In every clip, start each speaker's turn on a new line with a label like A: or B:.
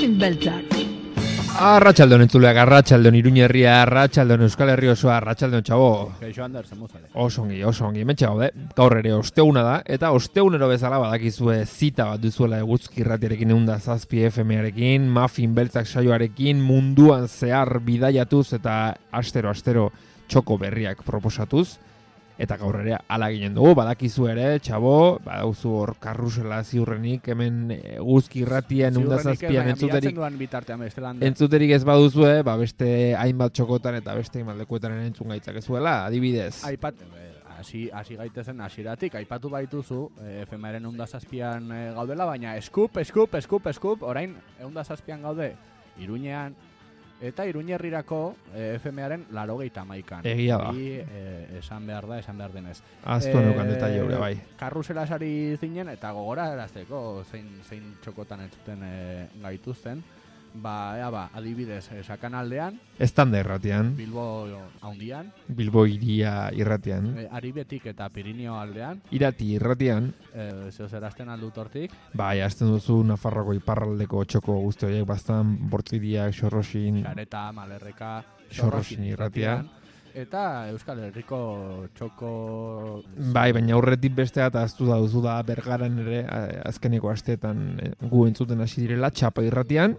A: Muffin beltzak.
B: Arratxaldon entzuleak, arratxaldon Iruña herria, arratxaldon Euskal Herri osoa, arratxaldon txabo.
C: Kaixo Ander, zemuzale.
B: Oso ongi, mentxe gaude. Gaur ere osteuna da, eta osteunero bezala badakizue zita bat duzuela Eguzki irratiarekin 107 FM-arekin, Muffin beltzak saioarekin, munduan zehar bidaiatuz eta astero txoko berriak proposatuz. Eta gaur ere ala ginen dugu, badakizu ere, txabo, badauzu hor karrusela ziurrenik, hemen Eguzki irratian 107an entzuterik ez baduzue, beste hainbat txokotan eta beste hainbat lekuetan entzun gaitzakezuela, adibidez.
C: Hasi gaitezen hasieratik, aipatu baituzu, FM-aren 107an gaudela, baina eskup, orain 107an gaude Iruñean, eta Iruñerrirako FM-aren 91an.
B: Egia da.
C: Esan behar denez.
B: Aztu neukan detaile hori, bai.
C: Karrusela sari zinen, eta gogora erazteko zein txokotan entzuten gaituzten. Adibidez, Sakanaldean.
B: Estanda irratian.
C: Bilbo haundian.
B: Bilbo iria irratian.
C: Aribetik eta Pirinio aldean.
B: Irati irratian.
C: Zeozerazten aldut hortik.
B: Bai, azten duzu Nafarroko iparraldeko txoko guzti horiek bastan, Bortziriak, Xorrosin.
C: Xareta, Malerreka,
B: Xorrosin irratian.
C: Eta Euskal Herriko txoko...
B: Bai, baina aurretik bestea eta aztu da duzu da Bergaran ere azkeneko asteetan gu entzuten hasi direla, Txapa irratian.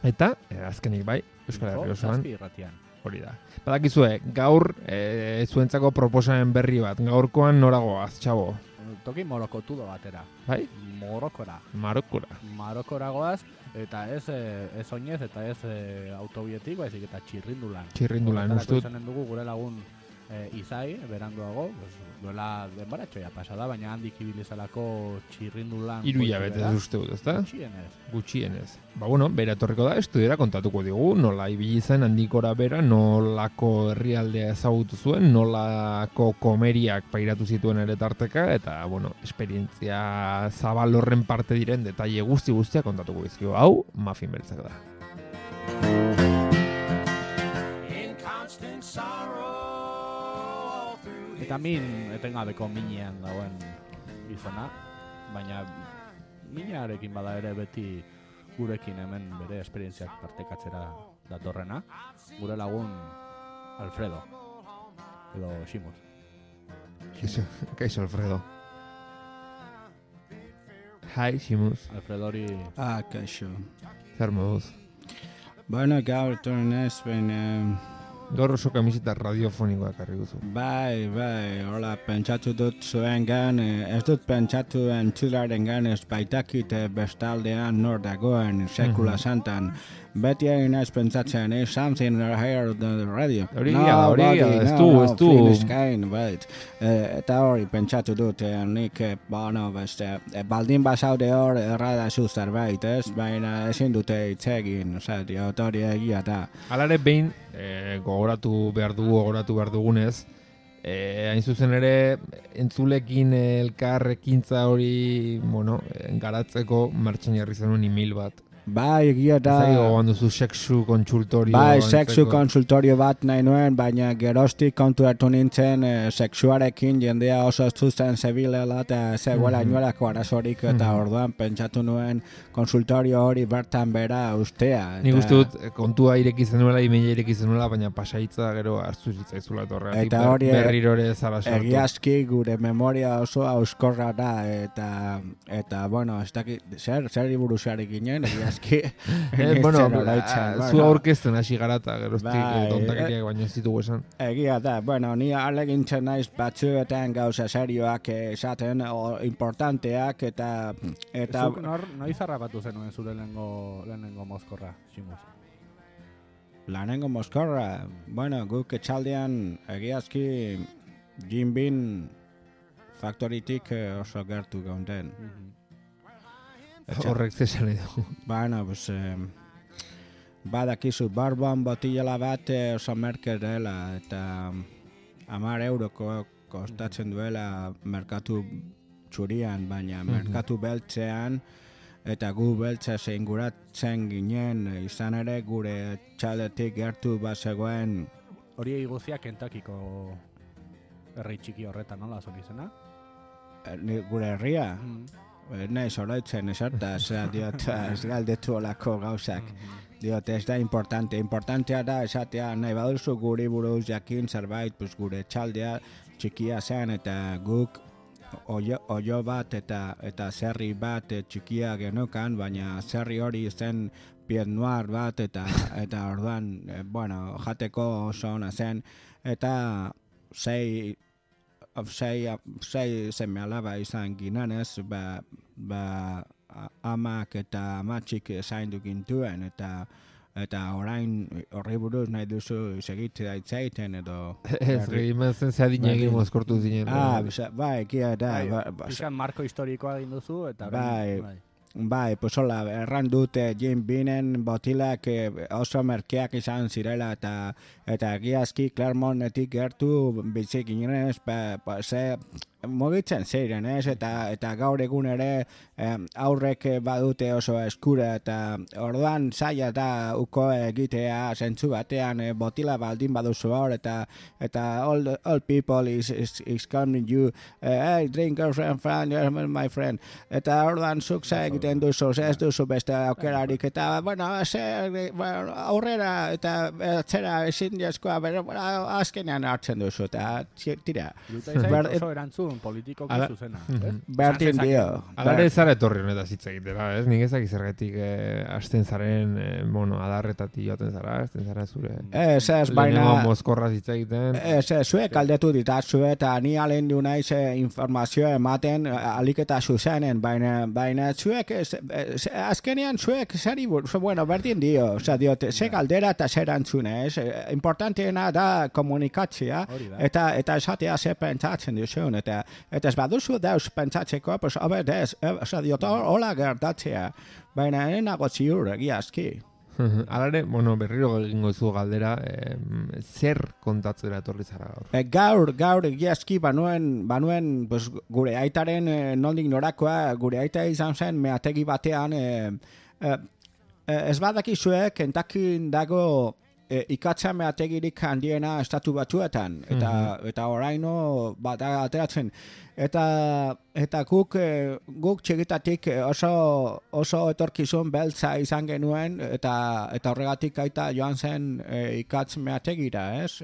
B: Eta, azkenik bai, Euskal Herri osoan. Hori da. Badakizue, gaur zuentzako proposamen berri bat. Gaurkoan noragoaz, txabo?
C: Toki morokotudo batera.
B: Bai?
C: Marokora goaz, eta ez oinez, eta ez autobietik, baizik eta txirrindulan.
B: Txirrindulan, ustut.
C: Izanen dugu gure lagun Izai, beranduago, duela denbaratxoia pasada, baina handik ibilizalako txirrindulan.
B: 3 hilabete uste dut, ezta? Gutxienez. Bera etorriko da, estudiera kontatuko digu, nola ibili zen handikora bera, nolako herrialdea ezagutu zuen, nolako komeriak pairatu zituen ere tarteka, eta, esperientzia zabal horren parte diren detaile guztiak kontatuko bizkio. Hau, Muffin beltzak da.
C: Eta etengabeko minean dagoen gizona, baina minearekin bada ere beti gurekin hemen bere esperientziak partekatzera datorrena, gure lagun Alfredo, edo Ximus.
B: Kaixo Alfredo. Hi, Ximus.
C: Alfredori...
D: kaixo.
B: Zer moduz?
D: Gaur torren ez,
B: Gaur oso kamiseta radiofonikoak harri duzu.
D: Bai, hola, pentsatu dut zuen gan, ez dut pentsatu entzularen gan ez baitakit bestaldean nor dagoen sekula santan. Beti egin ez pentsatzen, something here on the radio.
B: Hori ez du.
D: Eta hori pentsatu dut, nik, baldin basaude hor erradazu zerbait, ez? Baina ezin dute itzegin, hori egia da.
B: Alare behin, gogoratu behar dugunez, hain zuzen ere, entzulekin elkarrekintza hori, garatzeko martxan jarri zenuen email bat.
D: Bai, egia da.
B: Zai gogoan duzu sexu kontsultorio.
D: Bai, sexu kontsultorio bat nahi nuen, baina geroztik konturatu nintzen sexuarekin jendea oso zuzen zebilela eta zegoela inuelako arazorik eta orduan pentsatu nuen konsultorio hori bertan bera ustea.
B: Nik uste dut kontua ireki zenuela, emaila ireki zenuela, baina pasaitza gero hartzu zitzaizula etorrea.
D: Eta hori
B: berrirore zara sortu.
D: Egiazki gure memoria oso auskorra da eta ez dakit, zer iburuzarik ginen,
B: zu aurkezten hasi garata geroztik tontakeriak baino ez ditugu esan.
D: Egia da, ni alegintzen naiz batzuetan gauza serioak esaten, importanteak eta...
C: Zuk noiz harrapatu zenuen zure lehenengo mozkorra, Ximus?
D: Lehenengo mozkorra? Guk etxaldean egiazki Jinbin faktoritik oso gertu gaunden.
B: Horrek zesan edo.
D: Badakizu, barboan botila bat oso merke dela eta 10 euroko kostatzen duela merkatu txurian, baina merkatu beltzean eta gu beltza zeinguratzen ginen, izan ere gure txaldetik gertu bazegoen.
C: Hori guzia Kentakiko herri txiki horretan, nola zon izena?
D: Gure herria? nahi oroitzen esortaz, diot, ez galdetu olako gauzak. Diot, ez da importantea da esatea nahi baduzu guri buruz jakin zerbait, pues gure txaldea txikia zen eta guk oio bat eta zerri bat txikia genukan, baina zerri hori zen Pied Noir bat eta orduan, jateko oso ona zen, eta sei seme-alaba izan ginenez, amak eta amatxik zaindu gintuen, eta orain horri buruz nahi duzu segitzea itzaiten edo...
B: Ez, gehimen zen zeadinegin mozkortu zinen.
D: Bai, kia da.
C: Pixan marko historikoa egin duzu, eta...
D: Bai, pues hola, erran dut Jim Beanen botilak oso merkeak izan zirela eta egiazki Clermontetik gertu bizik ginen mugitzen ziren, eta gaur egun ere aurrek badute oso eskura eta orduan zaila da uko egitea zentzu batean botila baldin baduzu hor eta all people is coming you, hey, drink your friend, you're my friend, eta orduan zuk egiten duzu, ez duzu beste aukerarik, eta aurrera eta atzera ezin jaskoa, azkenean hartzen duzu, eta tira.
C: Oso erantzun politikoki zuzena.
D: Berdin dio.
B: Alare zara etorri honetaz hitz egitera, ez? Nik ezak izergetik hasten zaren, adarretatik joaten zara, hasten zara zure.
D: Ez, baina...
B: Lehenengo mozkorraz hitz egiten.
D: Zuek aldetu ditazue eta ni alen du naiz informazio ematen aliketa zuzenen, baina zuek, azkenean zuek zari berdin dio, diote, ze galdera eta zer antzune, ez? Importanteena da komunikatzea, eta esatea ze pentsatzen duzun, eta ez baduzu dauz pentsatzeko, pues obedez, diot, hola gertatzea, baina enago ziur egiazki.
B: Alare, berriro egingo zu galdera, zer kontatzera etorri zara gaur?
D: Gaur egiazki banuen pues, gure aitaren nondik norakoa, gure aita izan zen meategi batean, ez badakizue Kentakin dago ikatza meategirik handiena estatu batuetan, eta oraino bada ateratzen. Eta guk txigitatik oso etorkizun beltza izan genuen, eta horregatik aita joan zen ikatz meategira, ez?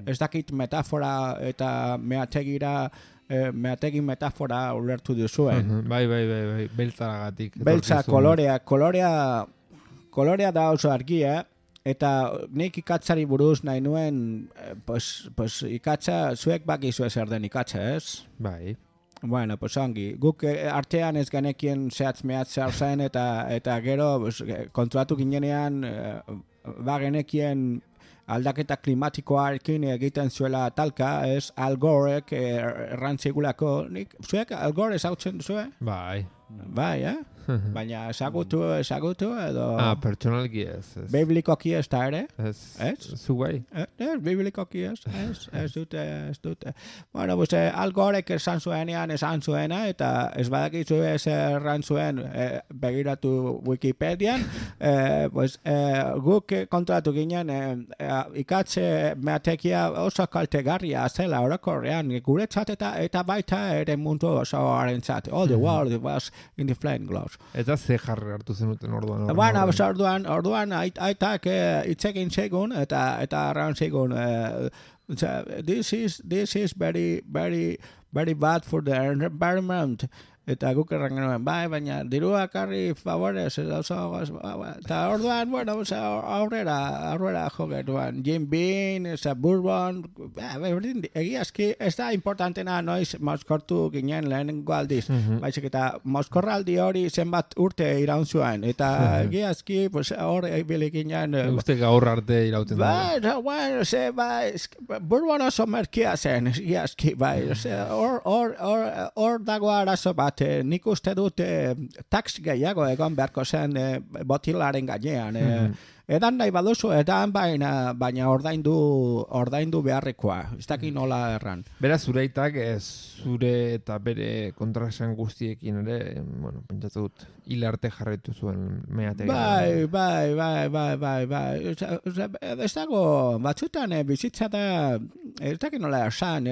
D: Ez dakit metafora eta meategira, meategi metafora ulertu duzuen.
B: Bai, beltzaragatik.
D: Beltza, kolorea da oso argia, eta nik ikatzari buruz nahi nuen, pues ikatza, zuek bakizue zer den ikatza, ez?
B: Bai.
D: Bueno, pues ongi, guk artean ez genekien zehatz-mehatz zer zen, eta gero kontratu ginenean, genekien aldaketa klimatikoarekin egiten zuela talka, ez? Al Gorek errantzigulako, zuek Al Gore ezautzen duzue?
B: Bai.
D: Bai, baina ezagutu edo...
B: Pertsonalki ez.
D: Biblikoki ez da ere?
B: Ez? Zu bai?
D: Biblikoki ez dute. Bueno, pues Al Gorek esan zuena, eta ez badakizu ez erran zuen begiratu Wikipedian, pues guk kontratu ginen ikatze meatekia oso kaltegarria zela orokorrean, guretzat eta baita ere mundu oso harentzat. All the world was in the flame glows.
B: Eta ze jarri hartu zenuten orduan?
D: Bueno, orduan aitak itzekin segun eta arraun segun this is very, very, very bad for the environment. Eta guk errangenuen, baina dirua karri favorez, eta orduan, aurrera jo genuen, Jim Beam, Bourbon, egiazki, ez da importantena noiz mozkortu ginen lehenengo aldiz, baizik eta mozkorraldi hori zenbat urte iraun zuen, eta egiazki, hor bilik ginen...
B: Uste gaur arte irauten da.
D: Bourbon oso merkia zen, egiazki, hor dago arazo bat, nik uste dut tax gehiago egon beharko zen botilaren gainean. edan nahi baduzu, edan baina ordaindu beharrekoa. Ez dakit nola erran.
B: Beraz, zure aitak zure eta bere kontraesan guztiekin ere, bueno, pentsatu dut, hil arte jarraitu zuen meategi.
D: Bai. Ez dago, batzutan bizitza da, ez dakit nola esan,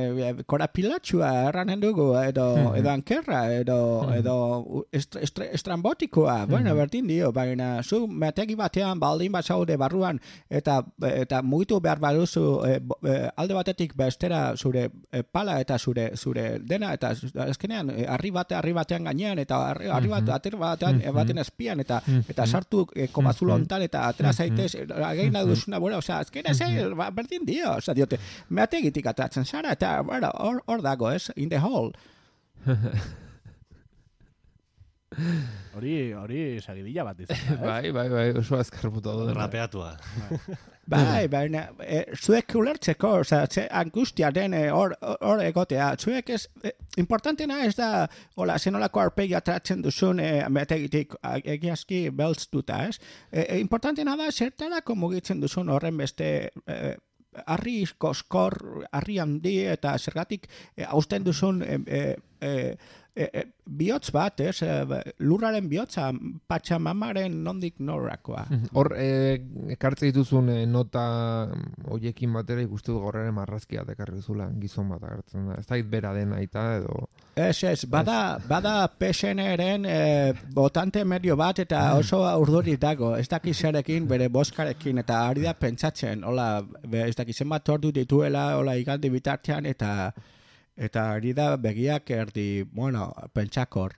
D: korapilatxua erranen dugu, edo ankerra, edo estrambotikoa, bueno, berdin dio, baina zu meategi batean baldin bat zaude barruan, eta mugitu behar baduzu alde batetik bestera zure pala eta zure dena, eta azkenean harri batean gainean, eta harri baten azpian, eta sartu komazulo ontan, eta atera zaitez, again duzuna, bueno, osea, azkenean berdin dio, osea, diote, meategitik atratzen zara, eta, bueno, hor dago, ez, in the hole.
C: Hori sagidilla bat izan.
B: Bai, oso azkar puto du.
A: Rapeatua.
D: Bai, baina, zuek ulertzeko, ze angustia den hor egotea, zuek ez, importantena ez da, hola, zenolako arpegi atratzen duzun meategitik egiazki beltztuta, ez? Importantena da, zertarako mugitzen duzun horren beste harri koskor, harri handi, eta zergatik hausten duzun bihotz bat, lurraren bihotza, Patxamamaren nondik norakoa.
B: Hor, ekartze dituzun nota hoiekin batera ikustu gorraren marrazkia ekarri zula gizon bat agertzen da. Ez da bera den aita edo...
D: Ez, bada PSN-eren botante medio bat eta oso urduri dago. Ez dakiz zerekin, bere boskarekin, eta ari da pentsatzen, hola, ez dakiz zenbat ordu dituela, hola, igaldi bitartean, eta ari da begiak erdi, bueno, pentsakor.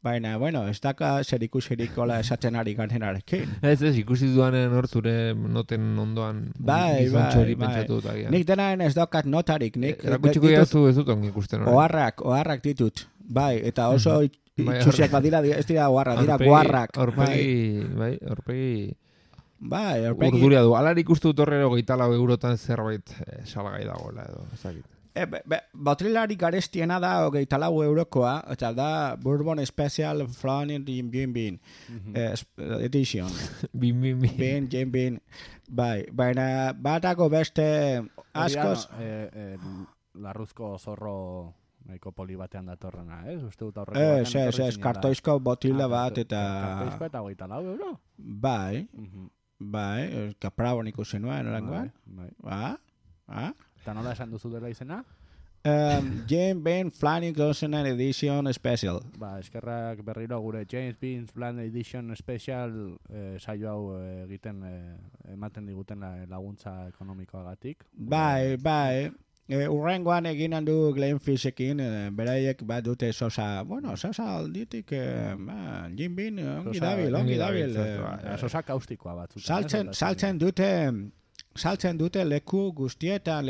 D: Baina, bueno, ez daka zer ikusirik hola esaten ari ganenarekin.
B: Ez, ikusi duanen hor zure noten ondoan gizontxori pentsatu dut agian.
D: Nik denaen ez daukat notarik.
B: Erakutsiko jazu ez dut ongi ikusten.
D: Oharrak ditut. Bai, eta oso itxusiak badira, ez dira oharrak, dira guarrak.
B: Horpegi...
D: Bai, horpegi...
B: Urduria du. Alar ikustu dut horrero 24 eurotan zerbait salgai dagoela edo, ezagit.
D: Botrilari garestiena da 24 eurokoa, eta da Bourbon Special Flowing Bin Edition. Bin. Bai, baina batago beste askoz...
C: Larruzko zorro nahiko poli batean datorrena, ez? Uste dut aurreko batean.
D: Ez, kartoizko botila bat, eta...
C: Kartoizko eta 24 euro?
D: Bai, kaprabon ikusi nuen, orangoan.
C: Bai. Eta nola esan duzu dela izena?
D: James Bean Flying Closenet Edition Special.
C: Eskerrak berriro gure James Bean Flying Edition Special saio hau egiten ematen diguten laguntza ekonomikoagatik.
D: Bai. Urrengoan egin handu Glenfishekin, beraiek bat dute sosa alditik, Jim Bean, ongi dabil.
C: Sosa kaustikoa bat.
D: Saltzen dute leku guztietan,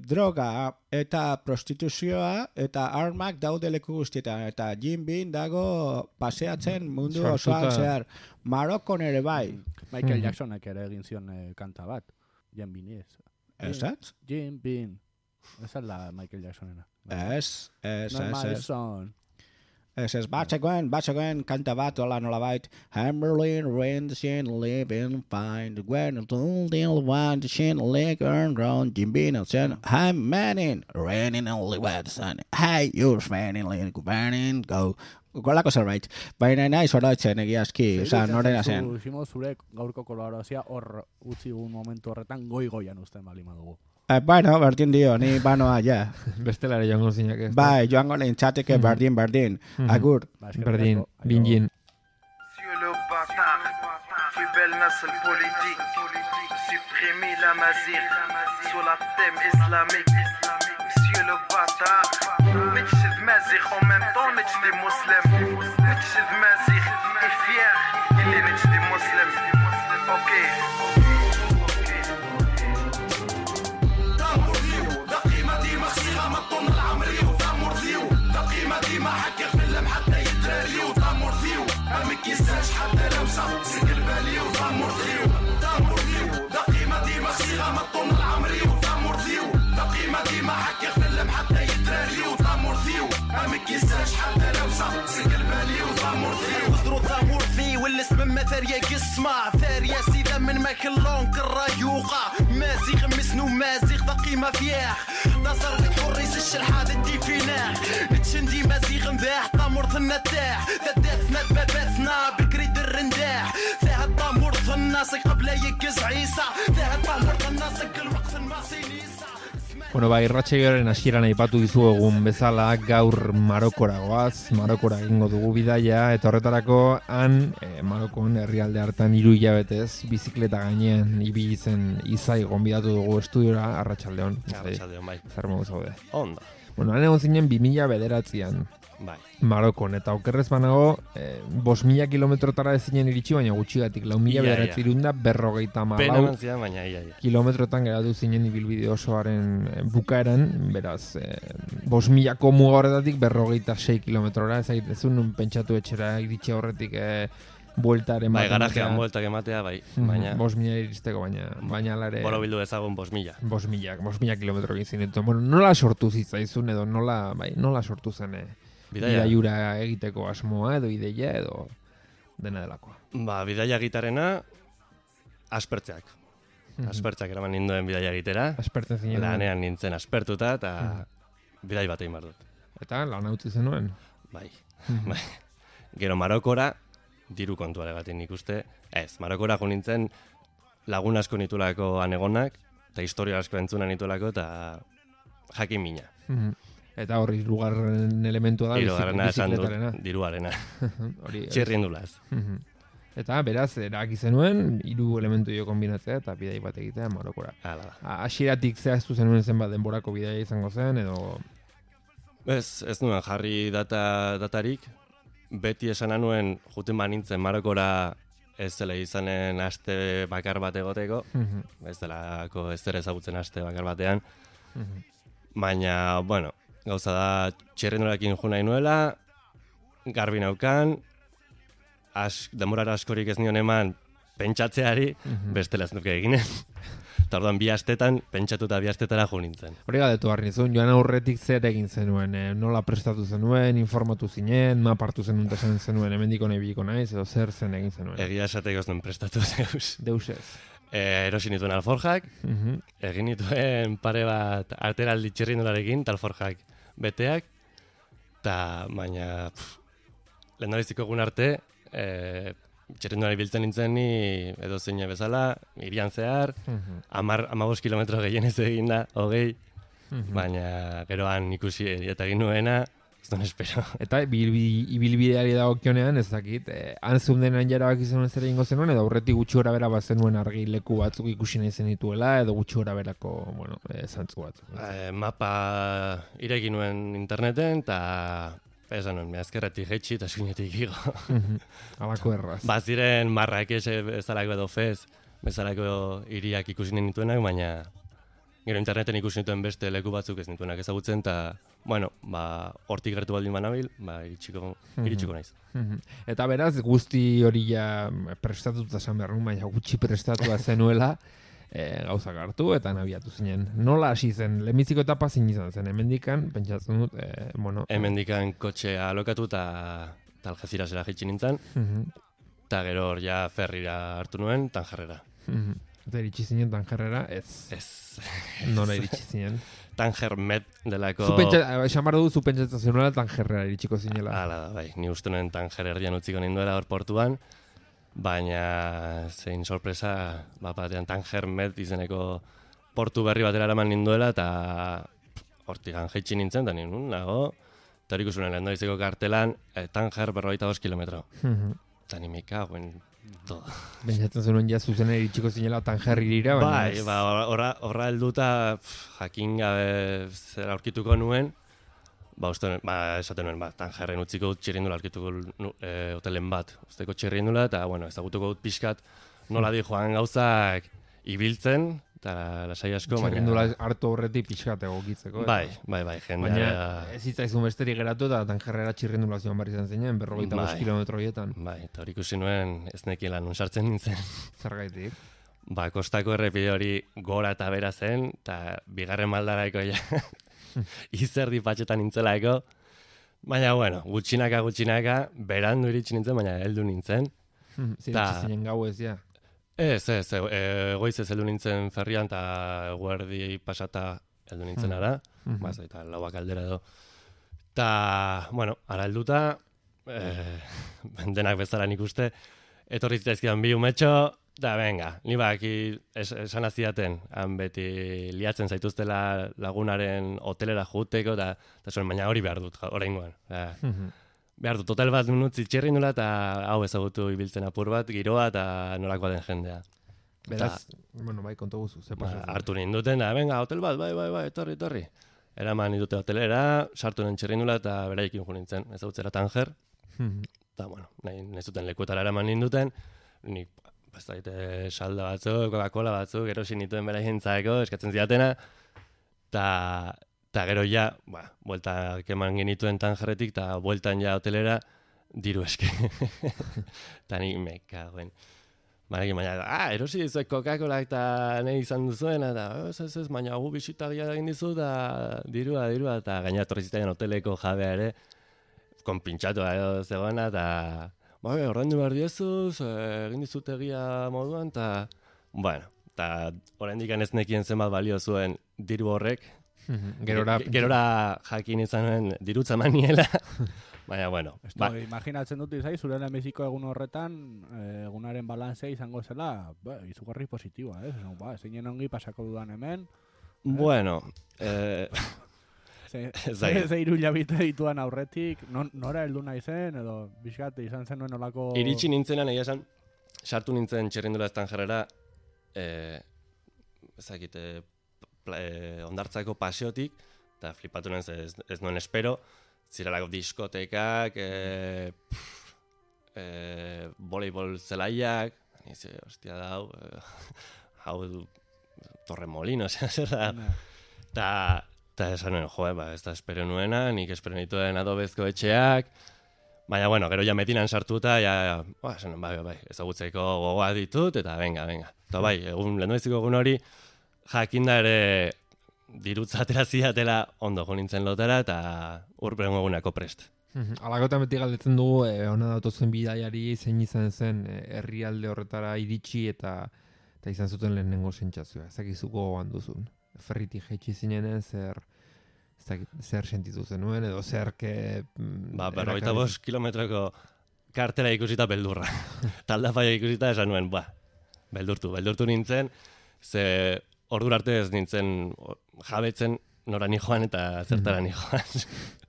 D: droga eta prostituzioa eta armak daude leku guztietan, eta Jim Bean dago paseatzen mundu osoan zehar. Marokon ere bai.
C: Michael Jacksonek ere egin zion kanta bat, Jim Bean ez.
D: Esat?
C: Jim Bean. Esa da Michael Jacksonena.
D: Ez.
C: Ez,
D: batzegoen kanta bat, hola nolabait. Hammerlin, Rindsin, living fine. When the little one, the shin, leg, earn, ground, Jim Bean, and I'm manning, raining only wet sun. Hey, you're fanning, burning, go. Golako zerbait. Baina nahi zorautzen egiazki, norena zen.
C: Zure gaurko kolaborazioa hor utzi un momentu horretan goian uzten bali madugu.
D: Bueno, berdin dio, ni banoa, ja.
B: Bestelare joango zinak ez.
D: Bai, joango nintzateke berdin. Agur.
B: Berdin, bingin.
E: Monsieur le bâtard, plus belle nasl politique, supprimer la mazir sur la thème islamique. Monsieur le bâtard, نتشد مازيغ en même temps نتشد مسلم نتشد مازيغ et fier اللي نتشد مسلم. اوكي دقيمة ديما صيغة ما طن العمري وثامور ذيو دقيمة ديما حكر فيلم حتى يترالي وثامور ذيو امك يساش حتى لو صار سكر بالي وثامور ذيو دقيمة ديما صيغة ما طن العمري وثامور ذيو دقيمة ديما حكر فيلم حتى يترالي وثامور ذيو امك يساش حتى لو صار سكر بالي وثامور ذيو وزرو ثامور ذيو والاسم مثل يقص اسمع ثارية سيدة من ماكلون كالريوقة مازيغ مسنو مازيغ ذقي ما فياح نصر تحريس الشلحاد الدي فيناح نتشندي مازيغ مباح طامور ثنا تاح ثداثنا تباباثنا بكري الرنداح ثاها طامور ثنا قبل يكز عيسى ثاها طامور ثنا الوقت الماسينيسا.
B: Bueno, irratsaioaren hasieran aipatu dizuegun bezala gaur Marokora goaz, Marokora egingo dugu bidaia, eta horretarako han Marokon herrialde hartan 3 hilabetez bizikleta gainean ibili zen Izai gonbidatu dugu estudiora. Arratsaldeon.
A: Arratsaldeon, bai.
B: Zer modu zaude?
A: Ondo.
B: Bueno, han egon zinen 2009an.
A: Bai.
B: Marokon, eta okerrez banago 5.000 kilometrotara ez zinen iritsi, baina gutxigatik 4.940
A: Pena eman zidan, baina ia.
B: kilometrotan geratu zinen ibilbide osoaren bukaeran, beraz, 5.000ko muga horretatik 56 kilometrora, ezun pentsatu etxera iritsi horretik bueltaren
A: bai, garajean bueltak ematea, bai, baina
B: 5.000 iristeko, baina alare
A: boro bildu ezagun 5.000.
B: 5.000 kilometro egin zinetuen. Bueno, nola sortu zitzaizun edo nola sortu zen bidaiura egiteko asmoa edo ideia edo dena delakoa?
A: Ba, bidaia gitarena aspertzeak. Aspertzeak eraman ninduen bidaia egitera.
B: Aspertzen zinen.
A: Lanean nintzen aspertuta eta bidai bat egin behar dut.
B: Eta lan utzi zenuen?
A: Bai. Bai. Gero Marokora diru kontuaregatik nik uste. Ez, Marokora jo nintzen lagun asko nitulako anegonak eta historia asko entzuna nitulako eta jakin mina.
B: Eta horri hirugarren elementua da bizikletarena.
A: Diruarena. Txirrindulaz.
B: Eta beraz, eraki zenuen 3 elementu dio kombinatzea eta bidai bat egitea Marokora.
A: Hala da.
B: Hasieratik zehaztu zenuen zenbat denborako bidaia izango zen edo...
A: Ez nuen jarri datarik. Beti esana nuen juten banintzen Marokora ez dela izanen aste bakar bat egoteko. Ez delako ez dela ezagutzen aste bakar batean. Baina, bueno, gauza da txirrindularekin jo nahi nuela, garbi naukan, demorara askorik ez nion eman pentsatzeari, bestela ez nuke eginen. Eta orduan 2 astetan, pentsatuta 2 astetara jo nintzen.
B: Hori galdetu behar nizun, joan aurretik zer egin zenuen, nola prestatu zenuen, informatu zinen, mapartu zenuen esan zenuen, hemendiko nahi biliko naiz, edo zer zen egin zenuen?
A: Egia esateko ez nuen prestatu deus.
B: Deus ez.
A: Erosi nituen alforjak, egin nituen pare bat arteraldi txirrindularekin, alforjak beteak, eta baina lehendabiziko egun arte, txirrindulari biltzen nintzen ni edo zein bezala, irian zehar, 15 kilometro gehienez egin da, 20, baina geroan ikusi eta egin nuena, ez duen espero.
B: Eta ibilbideari dagokionean ez dakit, han zeundenan jarabak izan zer egingo zenuen, edo aurretik gutxi gora bera bazenuen argi leku batzuk ikusi nahi zenituela, edo gutxi gora berako, bueno, zantzu batzuk.
A: Mapa ireki nuen interneten, eta esan nuen, azkerretik jetxi eta eskuinetik igo.
B: Alako erraz.
A: Baziren Marrakech bezalako edo Fez, bezalako hiriak ikusi nituenak, baina gero interneten ikusi nituen beste leku batzuk ez nituenak ezagutzen, eta bueno, hortik gertu baldin banabil, iritsiko naiz.
B: Eta beraz, guzti hori ja prestatuta esan behar nuen, baina gutxi prestatua zenuela, gauzak hartu eta nabiatu zinen. Nola hasi zen? Lehenbiziko etapa zin izan zen, hemendikan, pentsatzen dut,
A: hemendikan kotxea alokatu eta Algezirasera jaitsi nintzen, eta gero hor ja ferrira hartu nuen, Tangerrera.
B: Eta iritsi zinen Tangerrera, ez. Nola iritsi zinen?
A: Tanger Med delako...
B: Esan behar dugu, zu pentsatzen zenuela Tangerrera iritsiko zinela.
A: Hala da, bai. Ni uste nuen Tanger erdian utziko ninduela hor portuan, baina zein sorpresa, batean Tanger Med izeneko portu berri batera eraman ninduela, eta hortik jaitsi nintzen, eta nien nago, eta hori ikusunen lehendabiziko kartelan, Tanger 42 kilometro. Eta ni mikagoen todo.
B: Pentsatzen zenuen ja zuzen iritsiko zinela Tanger irira,
A: baina... Bai, horra helduta jakin gabe zer aurkituko nuen, esaten nuen, Tangerren utziko dut txirrindula, aurkituko hotelen bat, usteko txirrindula, eta bueno, ezagutuko dut pixkat nola di joan gauzak ibiltzen, eta lasai asko, baina...
B: Txirrindula hartu horretik pixkat egokitzeko.
A: Bai, jendea...
B: Baina ez zitzaizun besterik geratu eta Tangerrera txirrindula zion barri izan zinen, 45 kilometroietan.
A: Bai, eta hori ikusi nuen ez nekiela nun sartzen nintzen.
B: Zergaitik?
A: Kostako errepide hori gora eta bera zen, eta bigarren maldaraiko ja izerdi patxetan nintzelaeko. Baina, bueno, gutxinaka, berandu iritsi nintzen, baina heldu nintzen.
B: Ziritsi zinen gau ez, ja.
A: Ez, goiz ez heldu nintzen ferrian, eta eguerdi pasata heldu nintzen ara, eta lauak aldera edo. Ta, bueno, ara helduta, denak bezala nik uste, etorri zitzaizkidan bi umetxo, da, venga, ni baki esan aziaten, han beti liatzen zaituztela lagunaren hotelera juteko, eta zuen, baina hori behar dut, oraingoan. Behar dut, hotel bat nutzi txerri nula, eta hau ezagutu ibiltzen apur bat, giroa, eta nolakoa den jendea.
B: Beraz, bueno, bai, konto guzu, ze pasatzen.
A: Hartu ninduten, da, venga, hotel bat, bai, etorri. Eraman nindute hotelera, sartu nuen txerri nula, eta beraikin jo nintzen, ezagutzera Tanger. Eta, bueno, nahi zuten lekuetara eraman ninduten, nik, bazaite, salda batzuk, Coca-Cola batzuk, erosi nituen beraien zaeko, eskatzen zidatena, eta gero ja, bueltak eman genituen Tangerretik, eta bueltan ja hotelera, diru eske. Eta nik mekagoen. Baina, erosi dizuek Coca-Cola eta nahi izan duzuen, eta ez, baina gu bisitagia egin dizu, eta dirua, eta gaina torri zitaian hoteleko jabea ere, konpintxatu edo zegoena, eta ordaindu behar diezuz, egin dizutegia moduan, eta, bueno, eta oraindik ez nekien zenbat balio zuen diru horrek, gerora jakin izan nuen dirutza maniela, baina, bueno.
C: Imaginatzen dut izai, zure lehenbiziko egun horretan, egunaren balanzea izango zela, izugarri positiboa, zeinen ongi pasako dudan hemen.
A: Bueno,
C: Ze irulabite dituan aurretik, nora heldu nahi zen, edo bizkat izan zen nuen olako...
A: Iritsi nintzenan, egia esan, sartu nintzen txerrindula Tangerrera, ondartzako paseotik, eta flipatu nuen ez nuen espero, zirelako diskotekak, voleibol zelaiak, nize, hostia da, hau Torremolino, zer da, eta esan nuen, ez da espero nuena, nik espero nituen adobezko etxeak, baina, bueno, gero ja metinan sartuta, esan nuen, bai, ezagutzeko gogoa ditut, eta venga. Eta bai, lehenbiziko egun hori, jakinda ere dirutza atera zidatela ondo jo nintzen lotera, eta urperen egunako prest.
B: Alakotan beti galdetzen dugu, hona datozen bidaiari zein izan zen herrialde horretara iritsi eta izan zuten lehenengo sentsazioa. Ezakizuko gogoan duzun. Ferritik jaitsi zinenen zer sentitu zenuen edo zer ke...
A: 45 kilometroko kartela ikusita beldurra. Taldafaia ikusita esan nuen, beldurtu nintzen, ze ordura arte ez nintzen jabetzen nora ni joan eta zertara ni joan.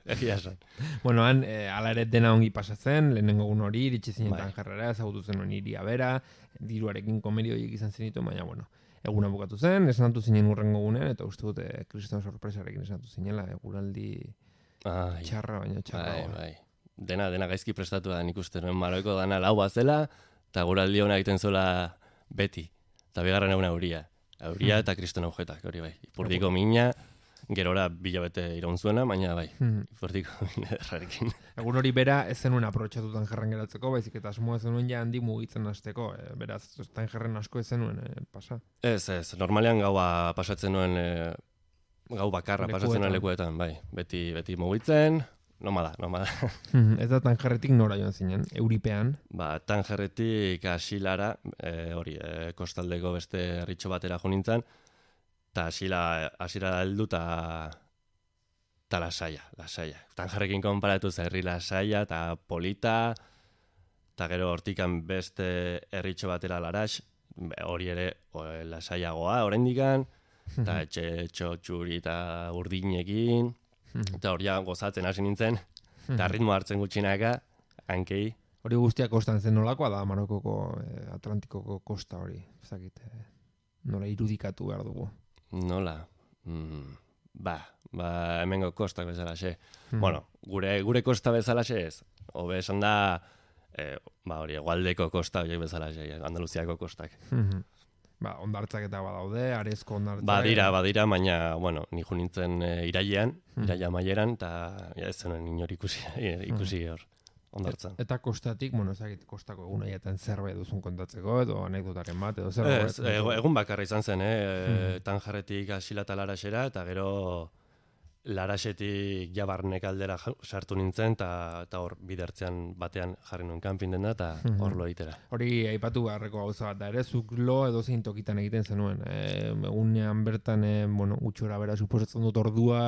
A: Egia esan.
B: Bueno, ala ere dena ongi pasatzen, lehenengo egun hori, iritsi zinen Tangerrera, ezagutu zenuen iria bera, diruarekin komedioiek izan zenitu, baina, bueno, eguna bukatu zen, esanatu zinen urrengo egunean, eta uste dute kriston sorpresarekin esanatu zinela, eguraldi txarra, baina txarra.
A: Bai. Dena gaizki prestatu da, nik uste nuen Maroko dana lau bazela, eta eguraldi hona egiten zola beti. Eta bigarren eguna euria eta kriston aujetak, hori bai. Ipurdiko mina, gerora bilabete iraun zuena, baina bai, ipurdiko mina derrarekin.
B: Egun hori bera ez zenuen aprobetxatutan jarren geratzeko, baizik eta asmoa zenuen ja handik mugitzen hasteko, beraz, Tangerren asko ez zenuen pasa? Ez,
A: normalean gaua pasatzen nuen, gau bakarra pasatzen nuen lekuetan, bai, beti mugitzen, nomada.
B: Ez da Tangerretik nora joan zinen, Euripean?
A: Tangerretik Asilara, kostaldeko beste herritxo batera jo nintzen, eta Asira heldu eta lasaia. Tangerrekin konparatu herri lasaia eta polita, eta gero hortikan beste herritxo batera Larax, hori ere lasaiagoa oraindikan, eta etxe txuri eta urdinekin, eta hori gozatzen hasi nintzen, eta ritmo hartzen gutxinaka, hankei.
B: Hori guztiak kostan zen nolakoa da Marokoko Atlantikoko kosta hori, ezakite, nola irudikatu behar dugu.
A: Nola? Hemengo kostak bezalaxe. Bueno, gure kosta bezalaxe ez. Hobe esan da, hegoaldeko kosta horiek bezalaxe, Andaluziako kostak.
B: Ondartzak eta badaude, arezko ondartzak.
A: Badira, baina, ni jo nintzen iraia maieran, eta ez zenuen inor ikusi hor. Ondartzan.
B: Eta kostatik, ezagit, kostako egun haietan zerbait duzun kontatzeko, edo anekdotaren bat, edo zerbait.
A: Egun bakarra izan zen, Tangerretik Asila eta Laraxera, eta gero Laraxetik jabarnek aldera sartu nintzen, eta hor bidertzean batean jarri nuen kanpin dena, eta hor lo egitera.
B: Hori aipatu beharreko gauza bat da, ere, zuk lo edo zein tokitan egiten zenuen. Egunean bertan, gutxora bera, suposatzen dut ordua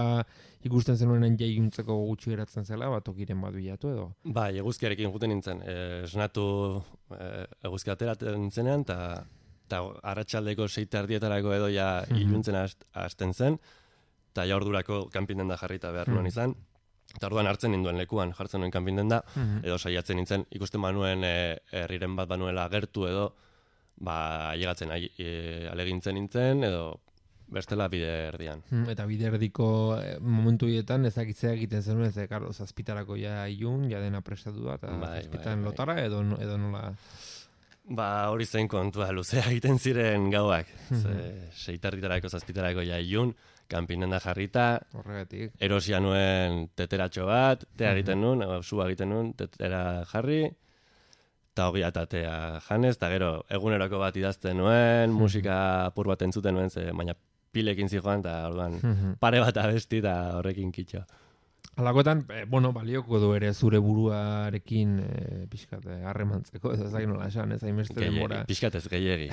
B: ikusten zenuenen jaiuntzeko gutxi geratzen zela, tokiren bat bilatu edo?
A: Bai, eguzkiarekin juten nintzen, esnatu eguzki ateratzen zenean, eta arratsaldeko 6:30 edo ja iluntzen hasten zen, eta ja ordurako kanpin-denda jarrita behar nuen izan. Eta orduan hartzen ninduen lekuan, jartzen nuen kanpin-denda, edo saiatzen nintzen, ikusten banuen herriren bat banuela gertu edo, ailegatzen alegintzen nintzen, edo bestela bide erdian.
B: Eta bide erdiko momentu hietan ezakitzea egiten zenuen, karo, zazpitarako ja ilun, ja dena prestatu da, eta zazpitan lotara edo nola...
A: Hori zen kontua, luzea egiten ziren gauak. 6:30 zazpitarako ja ilun, kanpinen da jarrita,
B: horregatik.
A: Erosia nuen teteratxo bat, tea egiten nuen, sua egiten nuen, tetera jarri, eta ogia eta tea janez, eta gero eguneroko bat idazten nuen, musika apur bat entzuten nuen, baina pilekin zijoan, eta orduan pare bat abesti, eta horrekin kitxo.
B: Alakoetan, balioko du ere zure buruarekin pixkat harremantzeko, ez dakit nola esan, ez hainbeste denbora.
A: Pixkat ez gehiegi.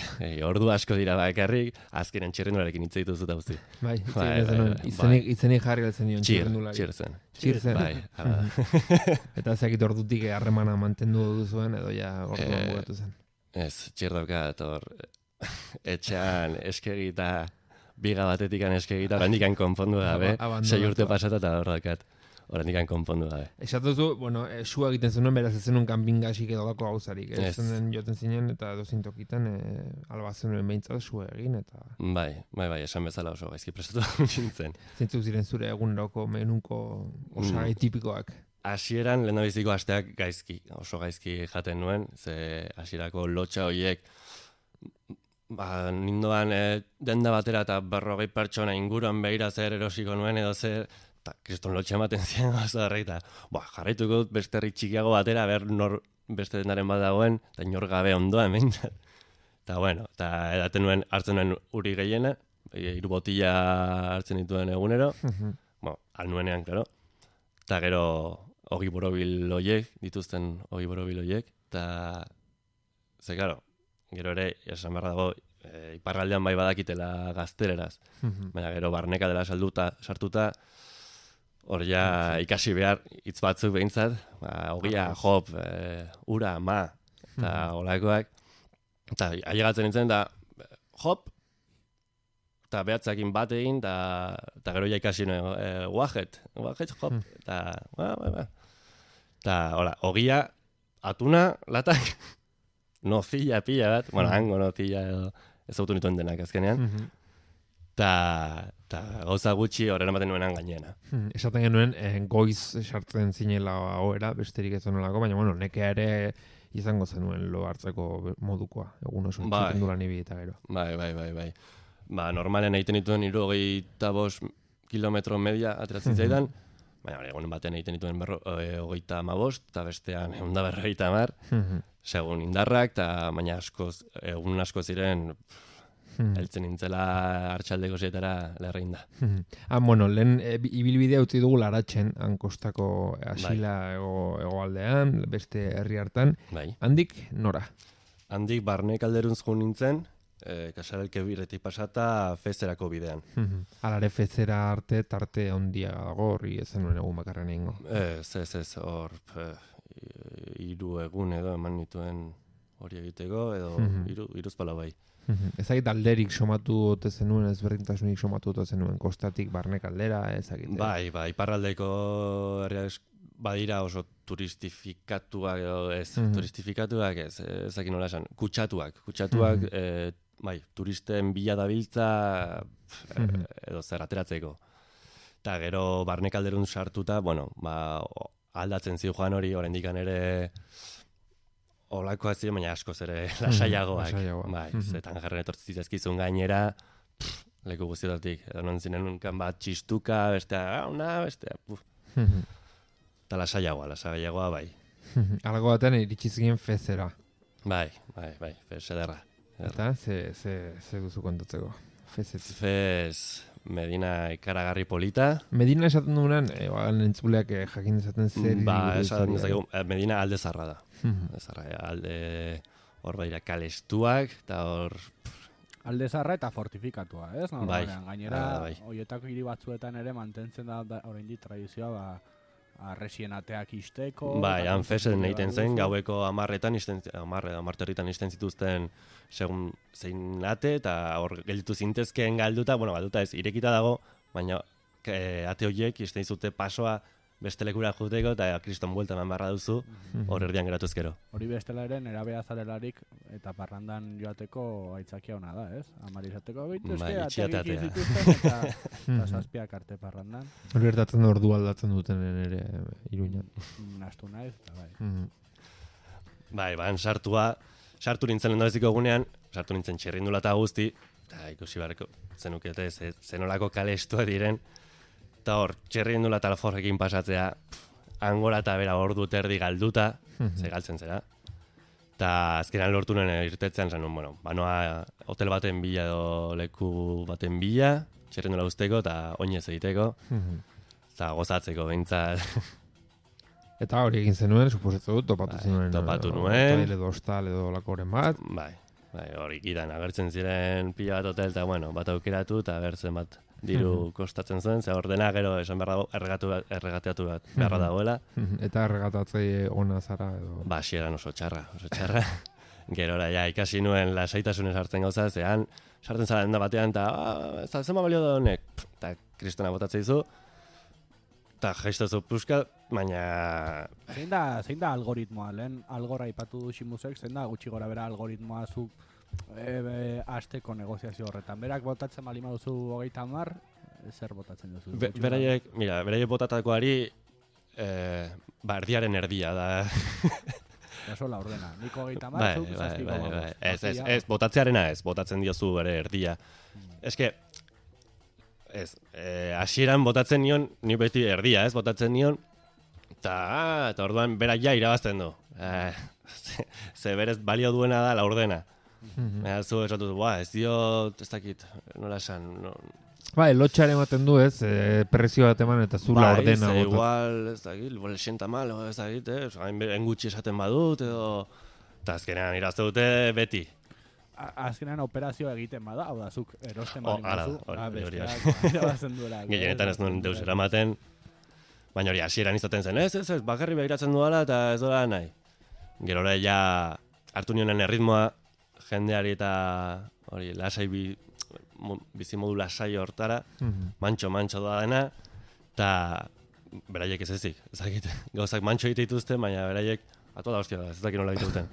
A: Ordu asko dira bakarrik, azkenen txirrendularekin hitz dituzu da guzti.
B: Bai, itzenik jarri galtzen dion txirrendulari.
A: Txirzen. Bai.
B: Eta ezakit ordutik harremana mantendu duzuen, edo ja orduan bugatu zen.
A: Ez, txirdokat hor etxean eskegi eta biga batetik eskegi eta orandikan konpondu gabe, 6 urte pasata eta hor dakat. Orandikan konpondu gabe.
B: Esatuzu, sua egiten zenuen, beraz ez zenuen kanpingasik edo dako gauzarik. Zen joten zinen eta dozintokitan alba zenuen behintzat sua egin. Eta...
A: Bai, esan bezala oso gaizki prestatu nintzen.
B: Zintzuk ziren zure eguneroko menuko osagai tipikoak?
A: Hasieran lehendabiziko asteak oso gaizki jaten nuen, ze hasierako lotxa horiek nindoan denda batera eta 40 pertsona inguruan behira zer erosiko nuen edo zer, eta kriston lotxa ematen ziren oso darreita. Jarraituko dut beste herri txikiago batera, nor beste dendaren bat dagoen, eta inor gabe ondoan behintzat. Eta edaten nuen, hartzen nuen uri gehiena, 3 botila hartzen dituen egunero, al nuenean, klaro. Eta gero, ogi borobil oiek, dituzten ogi borobil oiek, eta ze, klaro, gero ere, esan behar dago, iparraldean bai badakitela gaztereraz. Baina gero barneka dela sartuta, hor ja ikasi behar hitz batzuk behintzat, ogia, hop, ura, ma, eta olakoak. Eta ailegatzen nintzen, da hop, eta behatzakin bat egin, eta gero ja ikasi nuen, wajet, hop, eta ogia, atuna, latak, nozilla pila bat, hango nozilla edo ez autu nituen denak azkenean, eta gauza gutxi horren ematen nuenan gainena.
B: Esaten genuen, goiz sartzen zinela hoera, besterik ez nolako, baina nekea ere izango zenuen lo hartzeko modukoa, egun oso txirrendulan ibi eta gero.
A: Bai. Normalen egiten dituen 75 kilometro media ateratzen zaidan, baina egunen batean egiten dituen 35, eta bestean 150, segun indarrak, eta baina egun asko ziren heltzen nintzela hartxaldeko 7-era lerrein da.
B: Lehen ibilbidea utzi dugu Laratzen, hankostako asila egoaldean, beste herri hartan. Handik nora?
A: Handik barnek alderuntz joan nintzen, Kasarelke birretik pasata Fezerako bidean.
B: Alare Fezera arte, tarte handia dago, horri ezen nuen egun bakarren egingo.
A: Ez, hor 3 egun edo eman nituen hori egiteko, edo 3 pala bai.
B: Ezagit alderik somatu ote zenuen, ezberdintasunik somatu ote zenuen, kostatik barnek aldera, ezagit.
A: Bai, iparraldeko herriak badira oso turistifikatuak edo ez, turistifikatuak ez, ezagit nola esan, kutsatuak, bai, turisten bila dabiltza edo zer ateratzeko. Eta gero barnek alderun sartuta, aldatzen ziuan hori, oraindikan ere olakoa ziren, baina askoz ere lasaiagoak. Bai, zetan jarren etortzi zizkizun gainera, leku guztietatik, edo non zinen unkan bat txistuka, bestea, eta lasaiagoa, bai.
B: Algo batean iritsi zinen Fezera.
A: Bai, Fez ederra.
B: Eta, ze duzu kontatzeko?
A: Fez, Medina ikaragarri polita.
B: Medina esaten dugunean, entzuleak jakin dezaten zer.
A: Esaten dezakegu, Medina alde zarra da. Alde hor baira kalestuak, eta hor...
C: Alde zarra eta fortifikatua, ez?
A: Bai.
C: Gainera,
A: Bai.
C: horietako hiri batzuetan ere mantentzen da oraindik tradizioa, arresien ateak isteko.
A: Bai, han fesen egiten zen, gaueko 10 isten zituzten segun zein ate, eta hor gelditu zintezkeen galduta ez, irekita dago, baina ate horiek isten dizute pasoa beste lekura juteko, eta kriston buelta eman barra duzu, hor erdian geratu ezkero.
C: Hori bestela ere, nerabea zarelarik eta parrandan joateko aitzakia ona da, ez? Amari izateko ateak zituzten eta zazpiak arte parrandan.
B: Hori ertatzen da ordu aldatzen duten ere Iruñan.
C: Nastu naiz, eta
A: bai. Sartu nintzen lehendabiziko egunean, sartu nintzen txirrindula eta guzti, eta ikusi barreko zenukete zenolako kalestua diren, eta hor, txirrindula eta alforrekin pasatzea, angora eta bera ordu terdi galduta, ze galtzen zera. Eta azkenan lortu nuen irtetzean zen, banoa hotel baten bila edo leku baten bila, txirrindula usteko eta oinez egiteko, eta gozatzeko behintzat.
B: Eta hori egin zenuen, suposetzu, topatu zenuen.
A: Topatu nuen.
B: Hotel edo hostal edo lakoren bat.
A: Bai, hori gidan agertzen ziren pila bat hotel, eta bat aukeratu, eta agertzen bat diru kostatzen zuen, ze ordena gero esan behar dago erregateatu bat beharra dagoela.
B: Eta erregatatzei ona zara edo?
A: Ba, xieran oso txarra. Gerora, ikasi nuen lasaitasunez hartzen gauza, zean, sartzen zara denda batean, eta zema balio da honek, eta kristona botatzea izu, eta jaiztazu puska, baina...
C: Zein da algoritmoa, lehen algora ipatu du Ximusek, zein da gutxi gora bera algoritmoa zu asteko negoziazio horretan. Berak botatzen balima duzu 30, zer botatzen duzu?
A: Beraiek botatakoari erdiaren erdia da.
C: Oso la ordena. Niko 30, zuk zazpiko.
A: Ez, botatzearena ez, botatzen diozu bere erdia. Eske, hasieran botatzen nion, ni beti erdia, botatzen nion, eta orduan berak ja irabazten du. Ze berez balio duena da la ordena. Zu esatu du, ez dio, ez dakit, nola esan,
B: Bai, lotxaren ematen du, ez, prezio bat eman eta zula ordena.
A: Bai, igual, ez dakit, lexenta malo, ez dakit, engutxi esaten badut, edo, eta azkenean irazte dute beti.
C: Azkenean operazioa egiten bada, hau da, zuk erosten bali mazu,
A: besteak
C: irabazen duela.
A: Gehienetan ez nuen deus eramaten, baina hori hasieran izaten zen, ez, bakarri behiratzen duela eta ez dola nahi. Gerora ja hartu nionen erritmoa, jendeari eta hori lasai bizimodu lasai hortara, mantxo da dena, eta beraiek ez ezik, ezakit, gauzak mantxo egite dituzte, baina beraiek atola hostia da, ez dakit nola egite duten.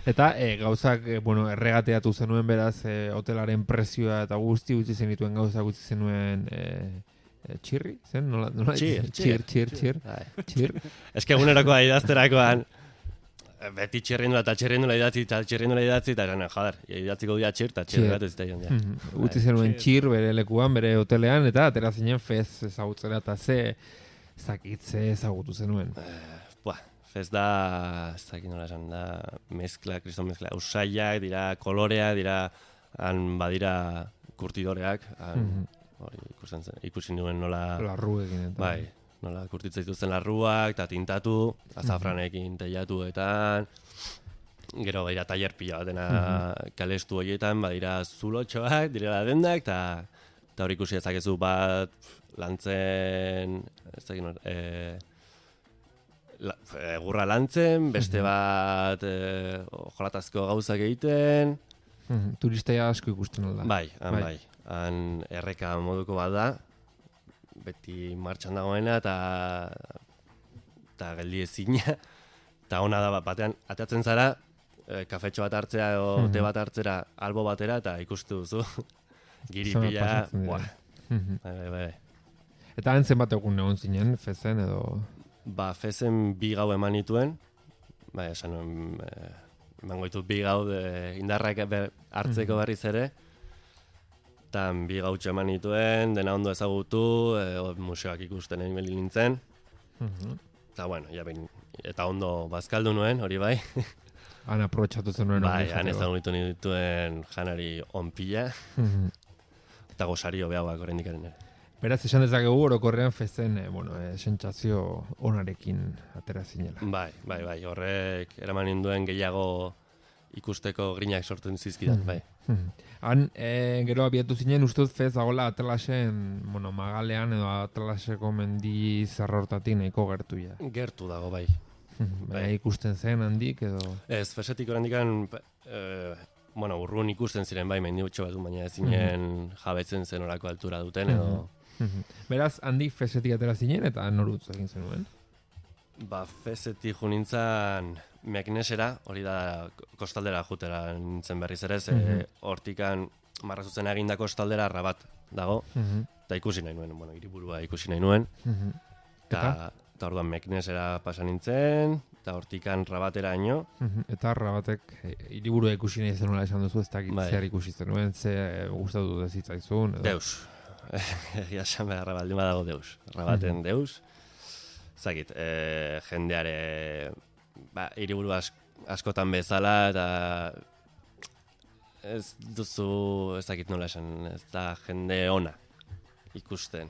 B: Eta gauzak, erregateatu zenuen beraz, hotelaren prezioa eta guzti utzi zenituen gauzak utzi zenuen txirri, zen? Txir.
A: Eske egunerakoa idazterakoan, beti txirrindula idatzi, eta idatziko dira txir, eta txir bat ez da joan.
B: Utzi zenuen txir bere lekuan, bere hotelean, eta atera zinen fez ezagutzera, eta ze ezagutu zenuen.
A: Fez da, ez dakit nola esan, da mezkla, kriston mezkla, usaiak, dira koloreak, dira, badira kurtidoreak, ikusi nuen nola...
B: Larruekin eta...
A: Bai. Nola kurtitzen dituzten larruak, eta tintatu, azafranekin teiatuetan, gero badira taller pila batena kalestu horietan, badira zulotxoak, direla dendak, eta hori ikusi ezakezu bat lantzen, egurra lantzen, beste bat jolatazko gauzak egiten.
B: Turistea asko ikusten alda.
A: Bai. Han erreka moduko bat da, beti martxan dagoena eta geldi ezina, eta ona da batean ateatzen zara, kafetxo bat hartzea edo te bat hartzera albo batera, eta ikustu duzu, giripila, bai.
B: Eta hantzen bat egun egon zinen, fezen edo...
A: Ba, fezen 2 gau eman nituen, bai, esan emango ditut 2 gau indarrak hartzeko berriz ere, eta 2 gautxo eman nituen, dena ondo ezagutu, museoak ikusten egin beli nintzen. Eta bueno, eta ondo bazkaldu nuen, hori bai.
B: Han aprobetxatu zenuen.
A: Bai, han ezagutu nituen janari onpila. eta gosario behauak oraindik ere.
B: Beraz, esan dezakegu orokorrean festen, sentsazio onarekin atera zinela.
A: Bai, horrek eraman ninduen gehiago ikusteko grinak sortzen zizkidan, bai.
B: Han, gero abiatu zinen, ustuz fez dagoela Atlasen, magalean edo Atlaseko mendi zarrortatik nahiko gertu ja.
A: Gertu dago, bai.
B: Bai, ikusten zen handik edo...
A: Ez, fesetik orandikan, urrun ikusten ziren, bai, mendi utxo batu, baina ezinen jabetzen zen orako altura duten, edo...
B: Beraz, handik fesetik atera zinen eta norutz egin zenuen?
A: Fesetik jo nintzen Meknesera, hori da kostaldera jutera nintzen berriz ere, hortikan marrazutzen egindako kostaldera Rabat dago, eta ikusi nahi nuen, hiriburua ikusi nahi nuen, eta orduan Meknesera pasa nintzen, eta hortikan Rabatera ino.
B: Eta Rabatek hiriburua ikusi nahi zenuela esan duzu, ez dakit zer ikusi zenuen, ze gustatu dezitzaizun?
A: Deus. Egia esan beharra baldin badago Deus. Rabaten Deus. Zagit, jendeare hiriburu askotan bezala, eta ez duzu, ez dakit nola esan, ez da jende ona ikusten.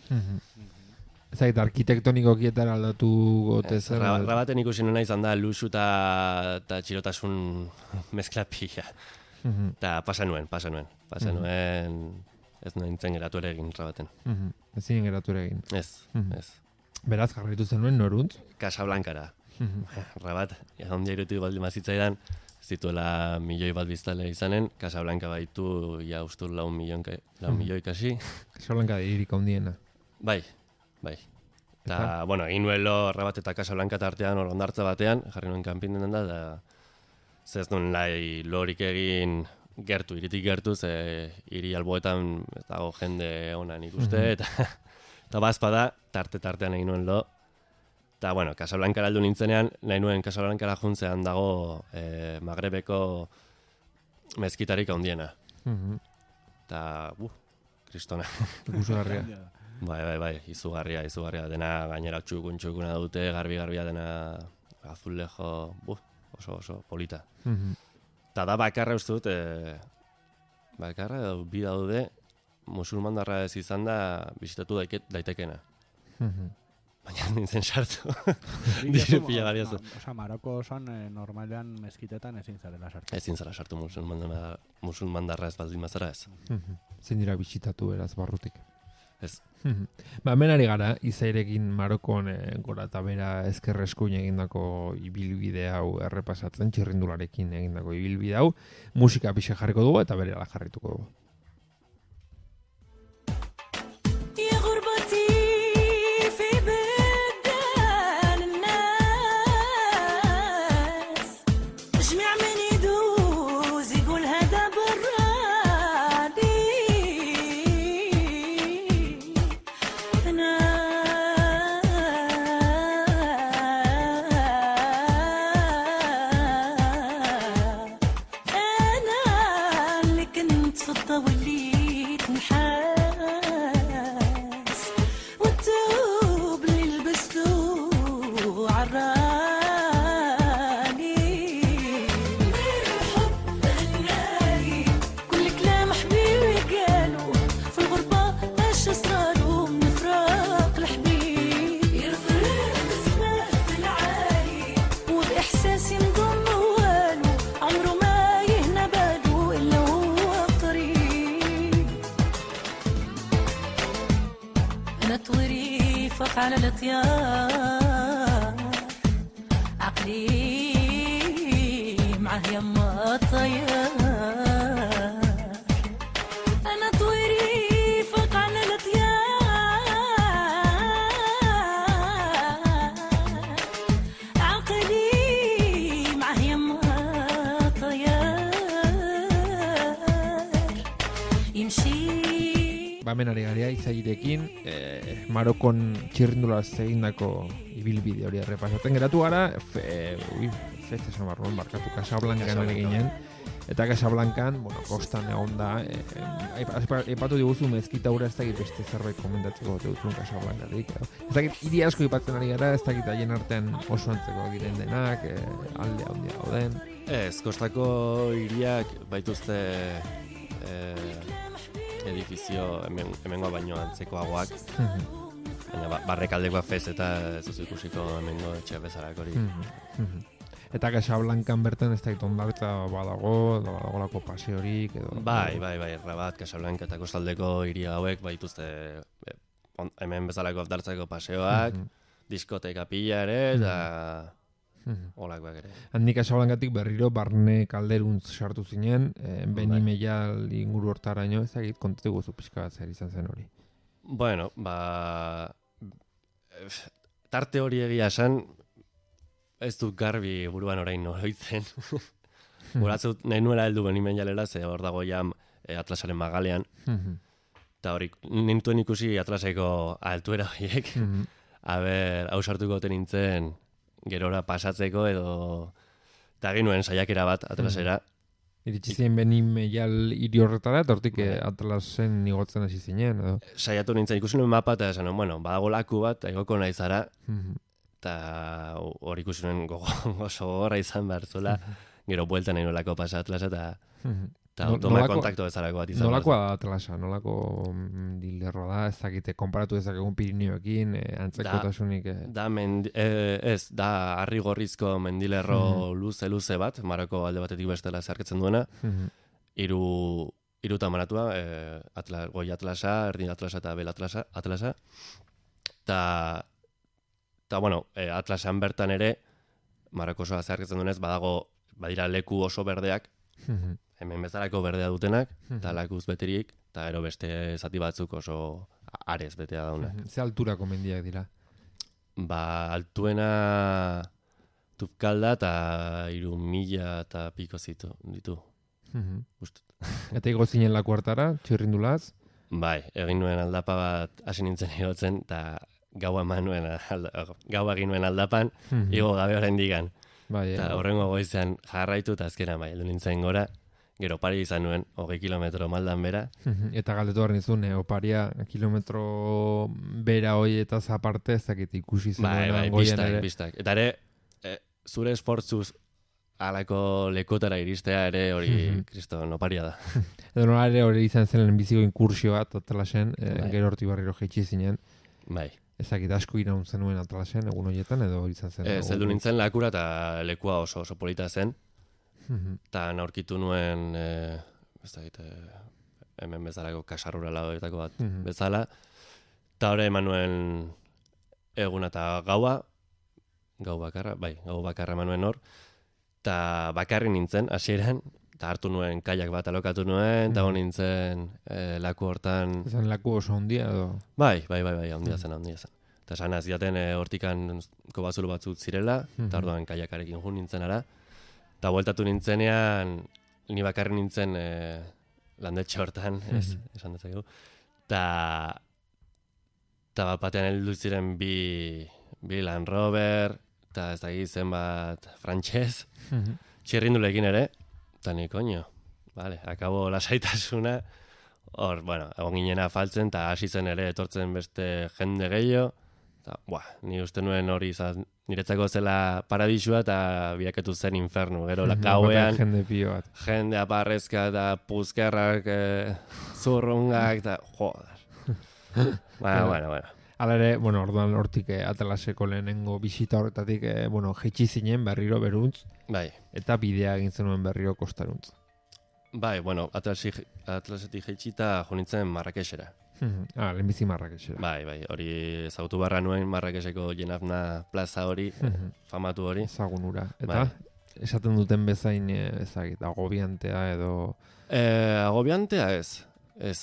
B: Ez dakit, arkitektonikokietara aldatu gote zer?
A: Rabaten ikusi nuna izan da luxu eta txirotasun mezkla pila. Eta pasa nuen. Ez nintzen geratu ere egin Rabaten.
B: Ez zinen geratu ere egin.
A: Ez.
B: Beraz, jarraitu zenuen noruntz?
A: Casablancara. Rabat, ondia irutu baldin mazitzaidan, zituela 1 milioi bat biztale izanen, Casablanca baitu, ja ustur 4 milioi kasi.
B: Casablanca da hiririk handiena.
A: Bai. Eta, egin nuelo Rabat eta Casablanca tartean ondartza batean, jarri nuen kanpinen da, zez nuen lorik egin iritik gertu, ze hiri alboetan ez dago jende onan ikuste, eta bazpada, tartean egin nuen lo. Eta, Casablancara aldu nintzenean, nahi nuen Casablancara juntzean dago Magrebeko mezkitarik handiena. Eta, kristona.
B: Ikusgarria.
A: Bai, izugarria, dena gainera txukuna dute, garbi-garbia dena azulejo, oso polita. Eta da bakarra uste dut, bi daude, musulmandarra ez izan da bisitatu daitekena. Baina nintzen sartu. Diru pila bariazu.
C: Maroko osan normalean mezkitetan ezin zarela sartu.
A: Ezin zara sartu musulmandarra ez baldin mazara ez.
B: Zein dira bisitatu beraz barrutik.
A: Ez.
B: Hemen ari gara, Izairekin Marokon gora eta bera ezkerreskuin egindako ibilbide hau errepasatzen, txirrindularekin egindako ibilbide hau, musika pixe jarriko dugu eta berela jarrituko dugu.
F: على الطيار عقلي معه يما الطيار أنا طويري فوق على الطيار عقلي معه يما الطيار يمشي
B: Bamenari garia Izairekin, Marokon txirrindulaz egindako ibilbide hori errepasatzen geratu gara, festa esan barruan barkatu Casablancan ere ginen, eta Casablancan, kostan egon da, epatu diguzu mezkita hura ez dakit beste zerbait komentatzeko duzun Casablancatik. Ez dakit hiri asko ipatzen ari gara, ez dakit haien artean oso antzeko diren denak, alde handia gauden.
A: Ez, kostako hiriak baituzte edifizio hemengoa baino antzekoagoak. Baina barrekaldekoak fez eta ez duzu ikusiko hemengo etxe bezalak hori.
B: Eta Casablancan bertan ez dakit ondartza badago, badagolako paseorik edo...
A: Bai, Rabat, Casablanca eta kostaldeko hiri hauek baituzte hemen bezalako ondartzako paseoak, diskoteka pila ere, eta olakoak ere.
B: Handik Casablancatik berriro barne kalderuntz sartu zinen, Beni Meial inguru hortaraino, ez dakit kontatu guzu pixka bat zer izan zen hori.
A: Bueno, tarte hori egia esan, ez dut garbi buruan orain noroitzen. Guratzut nahi nuela heldu Beni Meialera, ze hor dago ja Atlasaren magalean. Eta hori, nintuen ikusi Atlaseko altuera horiek. Hau sartuko nintzen gerora pasatzeko edo... Eta egin nuen saiakera bat Atlasera.
B: Iritsi ziren Beni Meial hiri horretara, eta hortik Atlasen igotzen hasi zinen, edo?
A: Saiatu nintzen, ikusi nuen mapa eta esan, bueno, badago laku bat, egoko nahi zara, eta hori ikusi nuen oso gogorra izan behar zuela, gero buelta nahi nolako pasa Atlasa, eta automa kontakto bezalako bat izan.
B: Nolakoa da Atlasa, nolako dilerroa da, ez dakite, konparatu ezakegun Pirineoekin, antzekotasunik... Da harri gorrizko mendilerro luze bat, Maroko alde batetik bestela zeharketzen duena, hiru tamaratua, goi Atlasa, erdi Atlasa eta bel Atlasa, eta bueno, Atlasean bertan ere, Maroko osoa zeharketzen duenez, badira leku oso berdeak, hemen bezalako berdea dutenak, eta lakuz beterik, eta ero beste zati batzuk oso arez betea daunak. Ze alturako mendiak dira?
A: Altuena Tupkalda eta 3.000 eta piko ditu.
B: Eta igo zinen laku hartara, txirrindulaz?
A: Bai, egin nuen aldapa bat hasi nintzen igotzen, eta gaua egin nuen aldapan, igo gabe orain digan. Eta horrengo goizean jarraitu eta azkenan heldu nintzen gora, gero opari izan nuen, 20 kilometro maldan bera.
B: Eta galdetu behar nizun, oparia kilometro bera hoi eta zaparte ez dakit ikusi zen.
A: Bistak. Eta ere, zure esportzuz alako lekotara iristea ere hori kriston oparia da.
B: Edo nola ere hori izan zen lehenbiziko inkursio bat Atlasen, gero horti barriro jaitsi zinen.
A: Bai.
B: Ezakit asko iraun zenuen Atlasen, egun horietan, edo izan zen?
A: Zeldu nintzen lakura eta lekua oso polita zen. Eta aurkitu nuen, hemen bezalako kasarrura lauetako bat bezala. Eta hori eman nuen eguna eta gaua bakarra eman nuen hor. Eta bakarri nintzen, hasieran, eta hartu nuen kaiak bat alokatu nuen, eta hon nintzen laku hortan...
B: Ezan laku oso ondia edo?
A: Bai, ondia zen. Eta esan zidaten hortikan kobazulo batzuk zirela, eta orduan kaiakarekin jun nintzen ara. Eta bueltatu nintzenean, ni bakarri nintzen landetxe hortan, esan dezakegu. Eta bat batean heldu ziren bi Land Rover, eta ez dakit zenbat frantxez, txirrindulekin ere, eta ni koño, akabo lasaitasuna, hor, egon ginena faltzen, eta hasi zen ere etortzen beste jende gehiago, eta, ni uste nuen hori niretzako zela paradisua, eta biaketu zen infernu, gero gauean, jende aparrezka, eta puzkerrak, zurrungak, eta, joder. Bueno.
B: Hala ere, orduan hortik Atlaseko lehenengo bisita horretatik, jaitsi zinen berriro beruntz, eta bidea egin zenuen berriro kostaruntz.
A: Bai, Atlasetik jaitsita jo nintzen Marrakexera.
B: Lehenbizi Marrakexera.
A: Bai, hori ezagutu barra nuen Marrakexeko Jenafna plaza hori, famatu hori.
B: Ezagun ura. Eta, esaten duten bezain, agobiantea edo...
A: Agobiantea ez,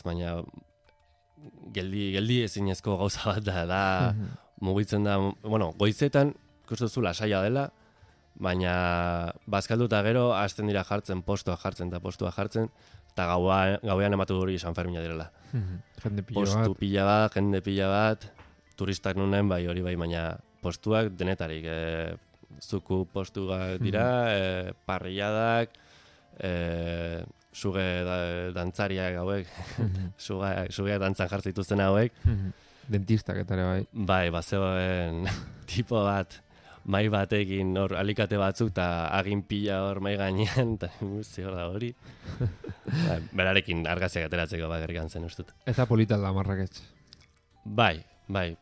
A: baina... Geldi ezinezko gauza bat da mugitzen da, goizetan ikustuzu lasaia dela, baina bazkaldu eta gero hasten dira postua jartzen, eta gauean ematu hori San Fermina direla. Postu pila bat, jende pila bat, turistak nunen hori bai, baina postuak denetarik, zuku postuak dira, parrilladak, suge dantzariak hauek, suge dantzan jartzen dituzten hauek.
B: Dentistak eta ere bai.
A: Bai, bazegoen tipo bat mai batekin hor alikate batzuk eta agin pila hor mai gainean, eta zior da hori. Berarekin argaziak ateratzeko bakarrik zen ustut.
B: Eta polita da Marrakech.
A: Bai,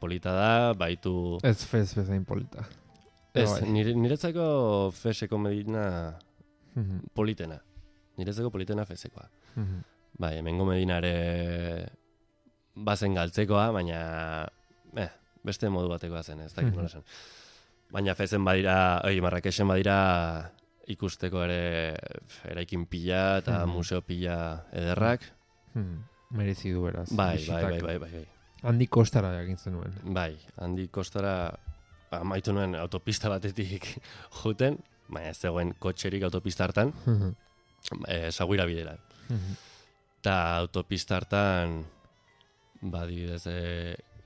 A: polita da, baitu...
B: Ez fezain polita.
A: Ez, niretzako feseko medina politena. Niretzako politena fezekoa. Bai, hemengo medina ere bazen galtzekoa, baina beste modu batekoa zen, ez dakit nola esan. Baina fezen badira, Marrakexen badira ikusteko ere eraikin pila eta museo pila ederrak.
B: Merezi du beraz.
A: Bai.
B: Handi kostara jakintzen nuen.
A: Bai, handi kostara amaitu nuen autopista batetik juten, baina ez zegoen kotxerik autopista hartan, Saguira bidera. Eta autopista hartan, badidez,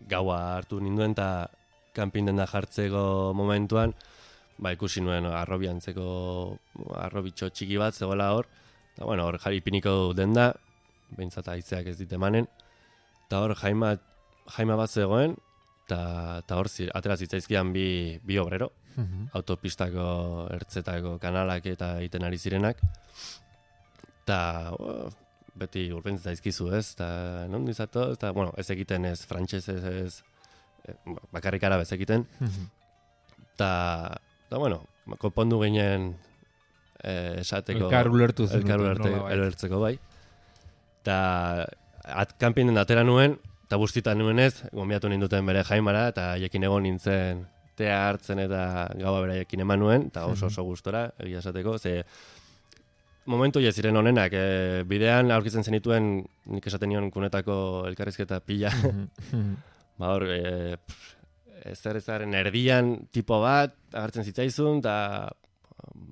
A: gaua hartu ninduen, eta kanpin denda jartzeko momentuan, ikusi nuen arrobitxo txiki bat zegoela hor, eta bueno, hor jaripiniko denda, behintzat aitzeak ez dit emanen, eta hor jaima bat zegoen, eta hor atera zitzaizkian bi obrero, autopistako ertzetako kanalak eta egiten ari zirenak, eta beti urbentzen zaizkizu ez, eta non dizato, eta bueno, ez egiten ez frantsesez ez, bakarrik arabez egiten, eta bueno, konpondu ginen esateko...
B: Elkar ulertu zen.
A: Ulertzeko bai. Eta kanpin den atera nuen, eta bustitan nuenez, gonbiatu ninduten bere jaimara, eta haiekin egon nintzen tea hartzen eta gaua beraiekin eman nuen, eta oso gustora, egia esateko, ze momentu ziren honenak, bidean aurkitzen zenituen, nik esaten nion kunetako elkarrizketa pila, hor, ezaren erdian tipo bat, agertzen zitzaizun, eta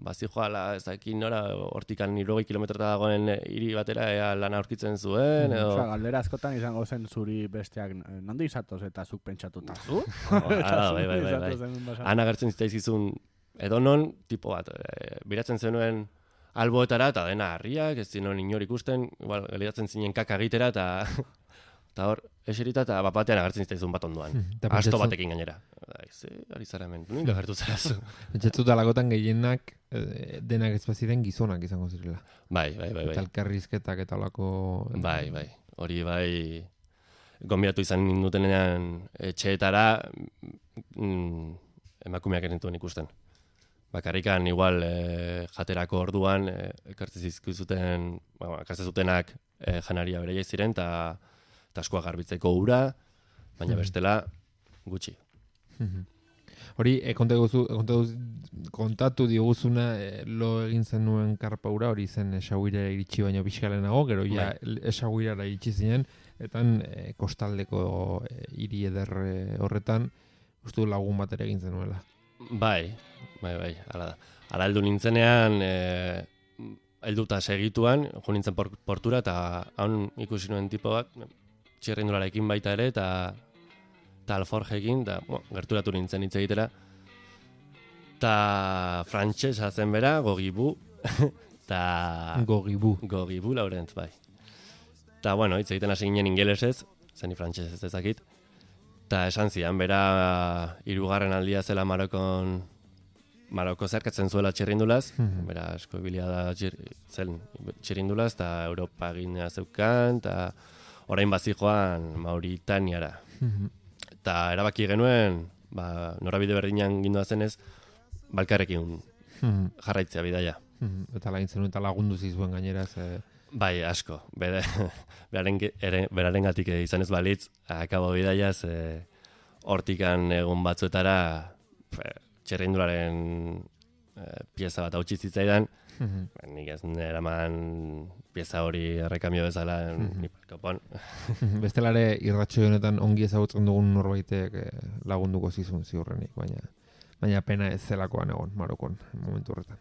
A: bazijoala ezakin nora, hortikan 90 kilometrota dagoen hiri batera lana aurkitzen zuen, edo...
C: Galdera askotan izango zen zuri besteak nondi izatoz eta zuk pentsatuta zu?
A: Bai. Han agertzen zitzaizizun edonon tipo bat, biratzen zenuen alboetara, eta dena harriak, ez zinon inor ikusten, igual, geliatzen zinen kaka egitera, eta hor, eserita eta batean agertzen zitaizun bat ondoan. Asto batekin gainera. Ari zara hemen, nunca agertu zara zu.
B: Etxetzu dalagotan gehienak denak ezpaziren gizonak izango zirela.
A: Bai.
B: Eta elkarrizketak eta olako...
A: Bai. Hori bai, gonbidatu izan nindutenean etxeetara emakumeak enentuen ikusten. Bakarrikan igual jaterako orduan ekartzen zutenak janaria bere ziren, eta askoa garbitzeko ura, baina bestela gutxi.
B: Hori, kontatu diguzuna lo egin zenuen karpaura, hori zen Esaguirara iritsi baino pixkalenago, gero ja Esaguirara iritsi zinen, eta kostaldeko hiri eder horretan, uste lagun bat ere egin zenuela.
A: Bai, hala da. Hala heldu nintzenean, helduta segituan, jo nintzen portura, eta haun ikusi nuen tipo bat, txirrindularekin baita ere, eta alforjekin, eta gerturatu nintzen hitz egitera. Eta frantsesa zen bera, Gogibu. Gogibu, Laurent, bai. Eta, bueno, hitz egiten hasi ginen ingelesez, zeni frantsesez ezakit. Eta esan zidan, bera 3. aldia zela Maroko zerkatzen zuela txirrindulaz, bera asko bilia da txirrindulaz, eta Europa ginea zeukan, eta orain bazijoan Mauritaniara. Eta erabaki genuen, norabide berdinan gindoa zenez, balkarrekin jarraitzea bidaia.
B: Eta lagintzen eta lagundu zizuen gainera.
A: Bai, asko. Berarengatik izan ez balitz, akabo bidaiaz, hortikan egun batzuetara txerrindularen pieza bat hautsi zitzaidan, nik ez eraman pieza hori errekamio bezala nipalkopon.
B: Bestelare irratxo honetan ongi ezagutzen dugun norbaitek lagunduko zizun ziurrenik, baina pena ez zelakoan egon Marokon momentu horretan.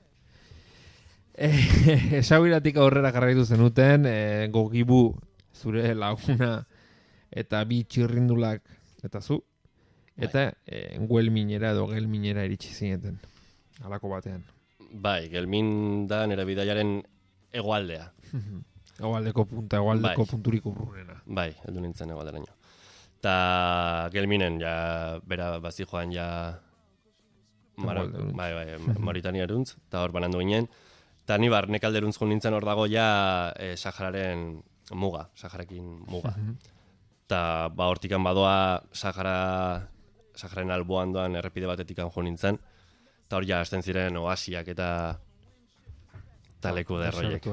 B: Esaguiratik aurrera jarraitu zenuten, Gogibu zure laguna eta bi txirrindulak eta zu, eta Gelminera edo Gelminera iritsi zineten, halako batean.
A: Bai, Gelmin da nire bidaiaren hegoaldea.
B: Hegoaldeko punturik urrunena.
A: Bai, heldu nintzen hegoalderaino. Ta Gelminen, bera bazijoan
B: Hegoalderuntz.
A: Bai, Mauritania eruntz, eta hor banandu ginen. Eta ni barnekalderuntz jo nintzen hor dago ja Sahararen muga, Saharakin muga. Eta hortikan badoa Sahararen alboan doan errepide batetikan jo nintzen. Eta hor ja hasten ziren oasiak eta leku derroiek.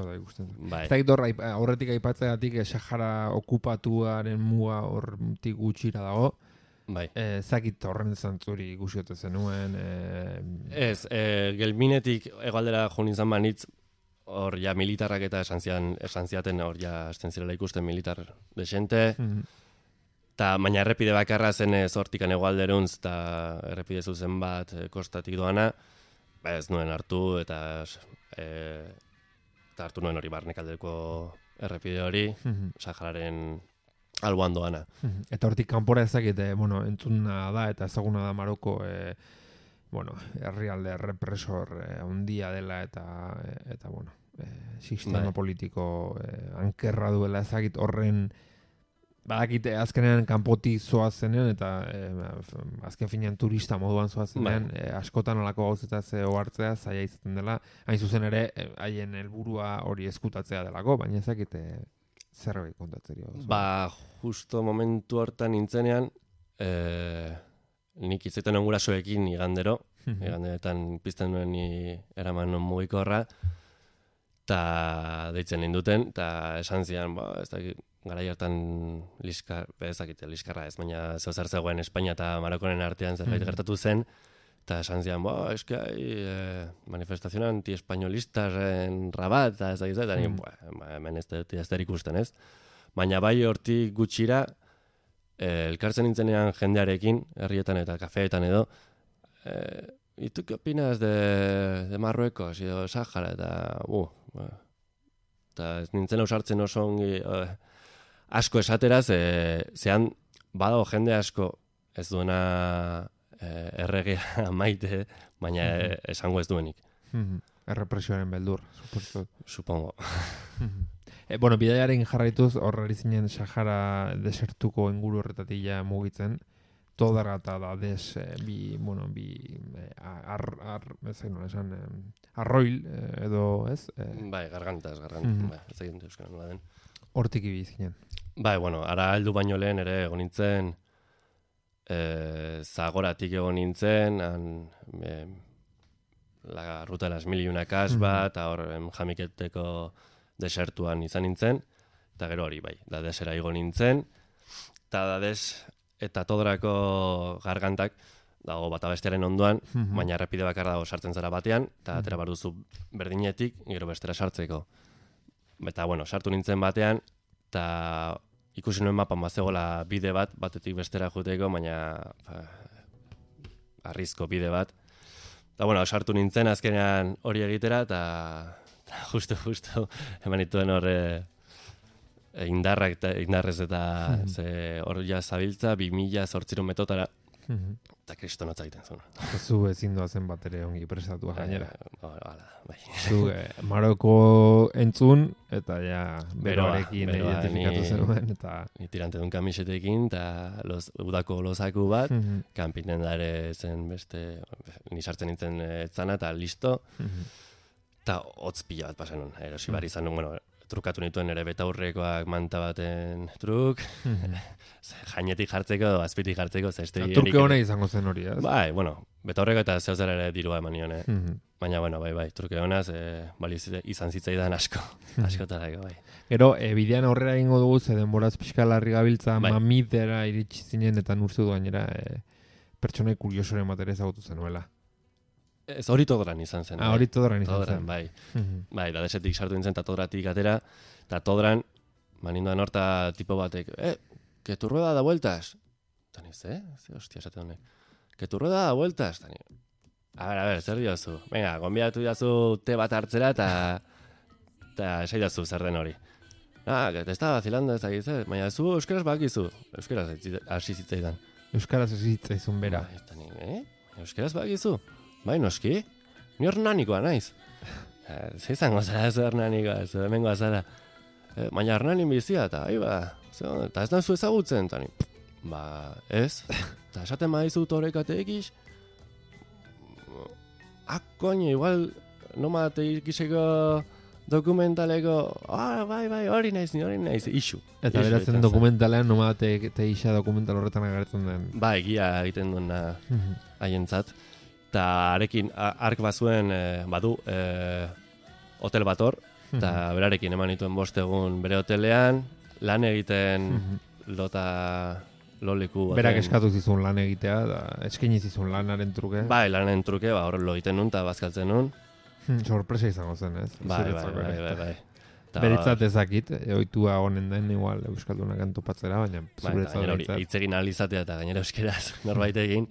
A: Bai.
B: Ez dakit aurretik aipatzeagatik Sahara okupatuaren muga hortik gutxira dago.
A: Bai.
B: Zakit horren zantzuri ikusiote zenuen.
A: Ez, gelminetik hegoaldera jo nintzen banitz, hor ja militarrak eta esan ziaten hor ja hasten zirela ikusten militar desente. Baina errepide bakarra zen hortikan hegoalderuntz eta errepide zuzen bat kostatik doana, ez nuen hartu eta hartu nuen hori barnekaldeko errepide hori, Sahararen alboan doana.
B: Eta hortik kanpora ezakit, entzuna da eta ezaguna da Maroko herrialde represor handia dela eta sistema politiko ankerra duela ezakit horren badakite azkenean kanpotik zoazenean eta azken finean turista moduan zoazenean askotan alako gauzetaz ohartzea zaila izaten dela, hain zuzen ere haien helburua hori eskutatzea delako, baina ezakite zerbait kontatzerio.
A: Justo momentu hortan nintzenean nik izaten ongurasoekin iganderotan pizten nuen eraman non mugikorra eta deitzen ninduten eta esan zian, ez dakit garai hartan liskarra ez, baina zeozer zegoen Espainia eta Marokoren artean zerbait gertatu zen, eta esan zian, eske manifestazio anti-espainolistas en Rabat, eta ez da gizet, hemen ez da ikusten ez. Baina bai hortik gutxira, elkartzen nintzenean jendearekin, herrietan eta kafeetan edo, ¿y tú qué opinas de Marruecos, edo Sahara, eta ez nintzen ausartzen oso ongi, asko esateraz, zehan badago jende asko ez duena erregea maite, baina esango ez duenik.
B: Errepresioaren beldur,
A: supongo.
B: Bidaiaren jarraituz horrari zinen Sahara desertuko inguru horretatik ja mugitzen, todara eta da arroil edo, ez?
A: Bai, gargantaz, ez egin euskara nola den.
B: Hortik ibiz ginen.
A: Bai, ara heldu baino lehen ere egon nintzen, Zagoratik egon nintzen, la ruta de las mil y una kasba, eta hor Jamiketeko desertuan izan nintzen, eta gero hori bai, dadesera igo nintzen, eta dades eta Todorako gargantak dago bata bestearen ondoan, baina errepide bakar dago sartzen zara batean, eta atera bar duzu berdinetik, gero bestera sartzeko. Eta, sartu nintzen batean, eta ikusi nuen mapan bazegola bide batetik bestera juteko, baina arrizko bide bat. Eta, sartu nintzen azkenean hori egitera, eta justo eman dituen hor indarrez eta hor ja zabiltza 2008 metotara, eta kristonotza egiten zuen.
B: Zu ezin doazen bat ere ongi prestatua gainera.
A: Bai.
B: Zu Maroko entzun, eta ja beroarekin identifikatu zenuen.
A: Ni tirante duen kamisetekin, eta udako lozaku bat, kanpinen da ere zen beste, ni sartzen nintzen etzana, eta listo, eta hotz pila bat pasen nuen. Erosi bar izan nuen, trukatu nituen ere betaurrekoak manta baten truk, jainetik jartzeko, azpitik jartzeko, zeste...
B: Truke hona izango zen hori, ez?
A: Bai, betaurreko eta zehozera ere dirua eman nion, baina, bai, truke honaz, izan zitzaidan askotarako, bai.
B: Gero, bidean aurrera egingo dugu, ze denboraz pixka larri gabiltza, mamidera iritsi zinen, eta nurzu duainera pertsonai kuriosoren bat ere ezagutu zenuela.
A: Ez hori Todoran izan zen.
B: Hori Todoran izan zen.
A: Bai. Bai, da desetik sartu nintzen, eta Todoratik atera, eta Todoran, manindoan horta tipo batek, que tu rueda da vueltas. Eta niz, hostia, esate honek. Que tu rueda da vueltas. Eta niz, a ver, zer diozu? Venga, gonbidatu diazu te bat hartzera, eta esai diazu zer den hori. Que te está vacilando ez dakiz, baina zu euskaraz bakizu. Euskaraz hasi zitzaidan.
B: Euskaraz hasi zitzaizun bera.
A: Eta niz, euskaraz bakizu? Bai, noski? Ni Hernanikoa naiz. Zeizango zara ez Hernanikoa, ez hemengoa zara. Baina Hernanin bizia, eta eta ez nazu ezagutzen, eta ni, ez. Eta esaten badizut horrekatek iş, koño, igual nomad ikiseko dokumentaleko, bai, hori naiz, isu.
B: Eta beratzen dokumentalean, nomate isa dokumental horretan agertzen den.
A: Ba, egia egiten duena haientzat. Eta arekin, ark bazuen, badu, hotel bat hor, eta berarekin eman dituen 5 egun bere hotelean, lan egiten loleku.
B: Berak eskatu zizun lan egitea, da eskaini zizun lanaren truke.
A: Bai, lanaren truke, hor lo egiten nun, eta bazkaltzen nun.
B: Sorpresa izango zen, ez?
A: Bai.
B: Beretzat ezakit, ohitua honen den, igual, euskaldunak antopatzera, baina zuretzat
A: beretzat. Hitz egin ahal izatea eta gainera euskeraz norbait egin,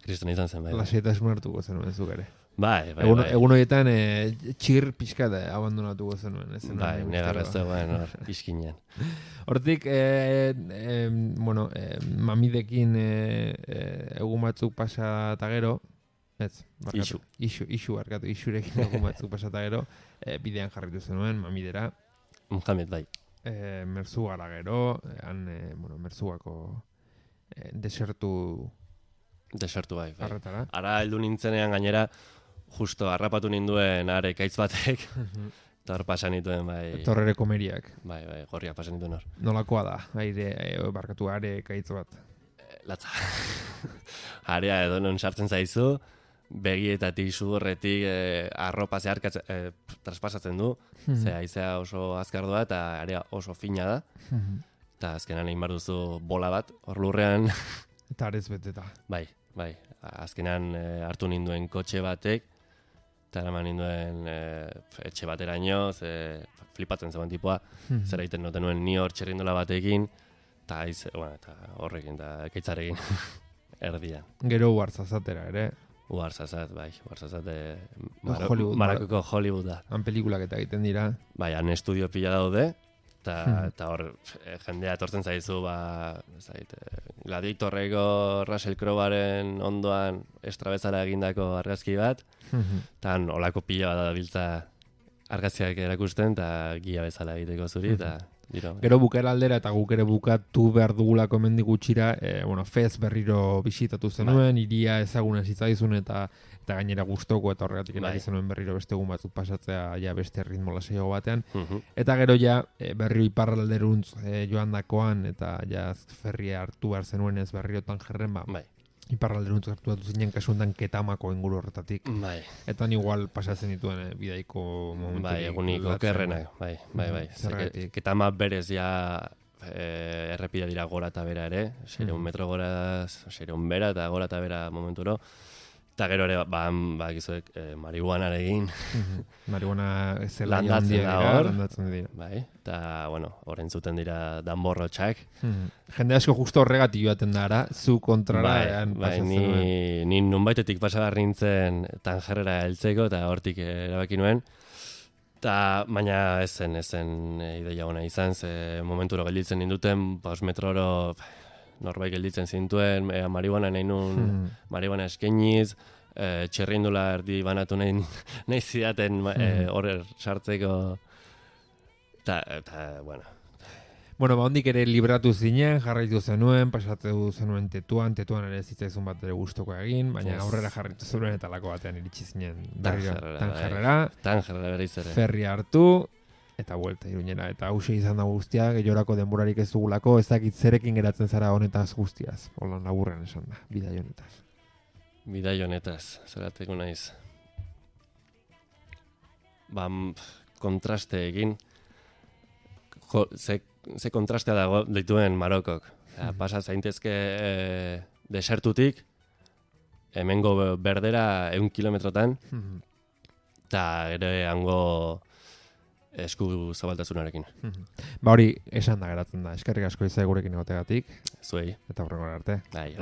A: kristona izan zen, bai.
B: Lasaitasun hartuko zenuen zuk ere.
A: Bai.
B: Egun horietan txir pixka da abandonatuko zenuen.
A: Bai, negarrez zegoen hor, iskinean.
B: Hortik, mamidekin egun batzuk pasa eta gero, isurekin egun batzuk pasa eta gero, bidean jarritu zenuen, mamidera.
A: Muhammed, bai.
B: Merzugara gero, Merzuako desertu
A: bai.
B: Arretara.
A: Ara heldu nintzenean gainera, justo harrapatu ninduen are kaitz batek, eta hor pasan nituen, bai.
B: Torrere komeriak.
A: Bai, gorriak pasan nituen hor.
B: Nolakoa da, are kaitz bat?
A: Latza. Area edo non sartzen zaizu, begietatik, sudurretik, arropa zeharkatzen, traspasatzen du, ze haizea oso azkar doa, eta area oso fina da, eta azkenan egin behar duzu bola bat, hor lurrean.
B: Eta arez beteta.
A: Bai. Azkenan hartu ninduen kotxe batek, eta eraman ninduen etxe bateraino, flipatzen zegoen tipoa, zer egiten noten nuen ni hor txerrindola batekin, eta horrekin, eta ekaitzarekin erdian.
B: Gero Uarzazatera ere.
A: Uarzazat, bai. Uarzazat
B: Marakoko
A: Hollywood da.
B: Han pelikulak eta egiten dira.
A: Bai, han estudio pila daude, eta hor jendea etortzen zaizu, Gladiatorreko Russell Crowe-aren ondoan estrabezala egindako argazki bat, eta olako pila bat biltza argazkiak erakusten, eta gia bezala egiteko zuri, eta
B: gero bukera aldera eta guk ere bukatu behar dugulako hemendik gutxira, Fez berriro bisitatu zenuen, iria ezaguna zitzaizun eta gainera gustoko eta horregatik eraki zenuen berriro beste egun batzuk pasatzea ja beste ritmo lasaiago batean. Eta gero ja berriro iparralderuntz joandakoan eta ja ferria hartu behar zenuen ez berriro Tangerren, iparralderuntz hartu zinen kasuntan Ketamako inguru horretatik. Eta igual pasatzen dituen bidaiko momentu.
A: Bai, egunik okerrenak, bai. Ketama berez ja errepide dira gora eta bera ere, 600 metro gora, 600 bera eta gora eta bera momenturo. Eta gero ere, gizuek, marihuanarekin.
B: Marihuana zela
A: landatzen dira. Bai, eta, hor entzuten dira danborrotxak.
B: Jende asko justo horregatik joaten da, zu kontrara.
A: Bai, ni nunbaitetik pasagar nintzen Tangerrera heltzeko, eta hortik erabaki nuen. Baina ez zen ideia ona izan, ze momenturo gelditzen ninduten, 5 metroro norbait gelditzen zintuen, marihuana nahi nun, marihuana eskeniz, txerrindula erdi banatu nahi zidaten horrer sartzeko, eta,
B: ondik ere libratu zinen, jarraitu zenuen, pasatu zenuen tetuan ere zitzaizun bat ere guztoko egin, baina aurrera jarraitu zenuen eta lako batean iritsi zinen Tangerrera,
A: berriz ere.
B: Ferria hartu, eta buelta Iruñera, eta hause izan da guztia, gehiorako denborarik ez dugulako, ez dakit zerekin geratzen zara honetaz guztiaz, holan laburren esan da, bidai honetaz.
A: Bidai honetaz, zerateko naiz. Kontraste egin, ze kontrastea dago dituen Marokok. Pasa zaintezke desertutik, hemengo berdera 100 kilometrotan, eta ere hango esku zabaltasunarekin.
B: Hori esan da geratzen da. Eskerrik asko izai gurekin egotegatik.
A: Zuei.
B: Eta horrengora arte.
A: Bai,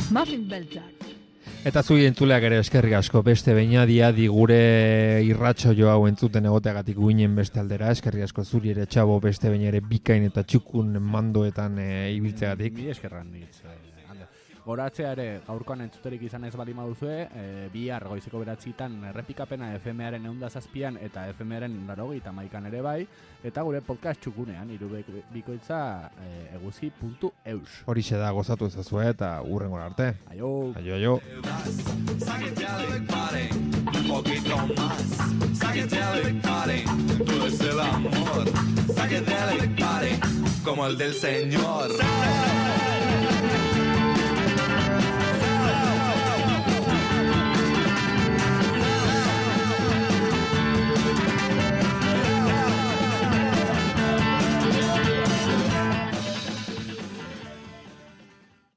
F: Muffin beltzak.
B: Eta zui entzuleak ere eskerrik asko beste beinadia gure irratxo jo hau entzuten egoteagatik guinen beste aldera. Eskerrik asko zuri ere Txabo beste beina ere bikain eta txukun mandoetan ibiltzeagatik.
C: Ni eskerran nitz. Goratzea ere gaurkoan entzuterik izan ez bali maduzue, bihar goizeko 9:00 errepikapena FM-aren 107an eta FM-aren 91an ere bai, eta gure podcast txukunean irubikoitza eguzi.eus.
B: Horixe da, gozatu ezazue eta hurrengora arte.
C: Aio!
B: Aio.
E: Psychedelic party, un poquito más. Psychedelic party, todo es el amor. Psychedelic party, como el del Señor.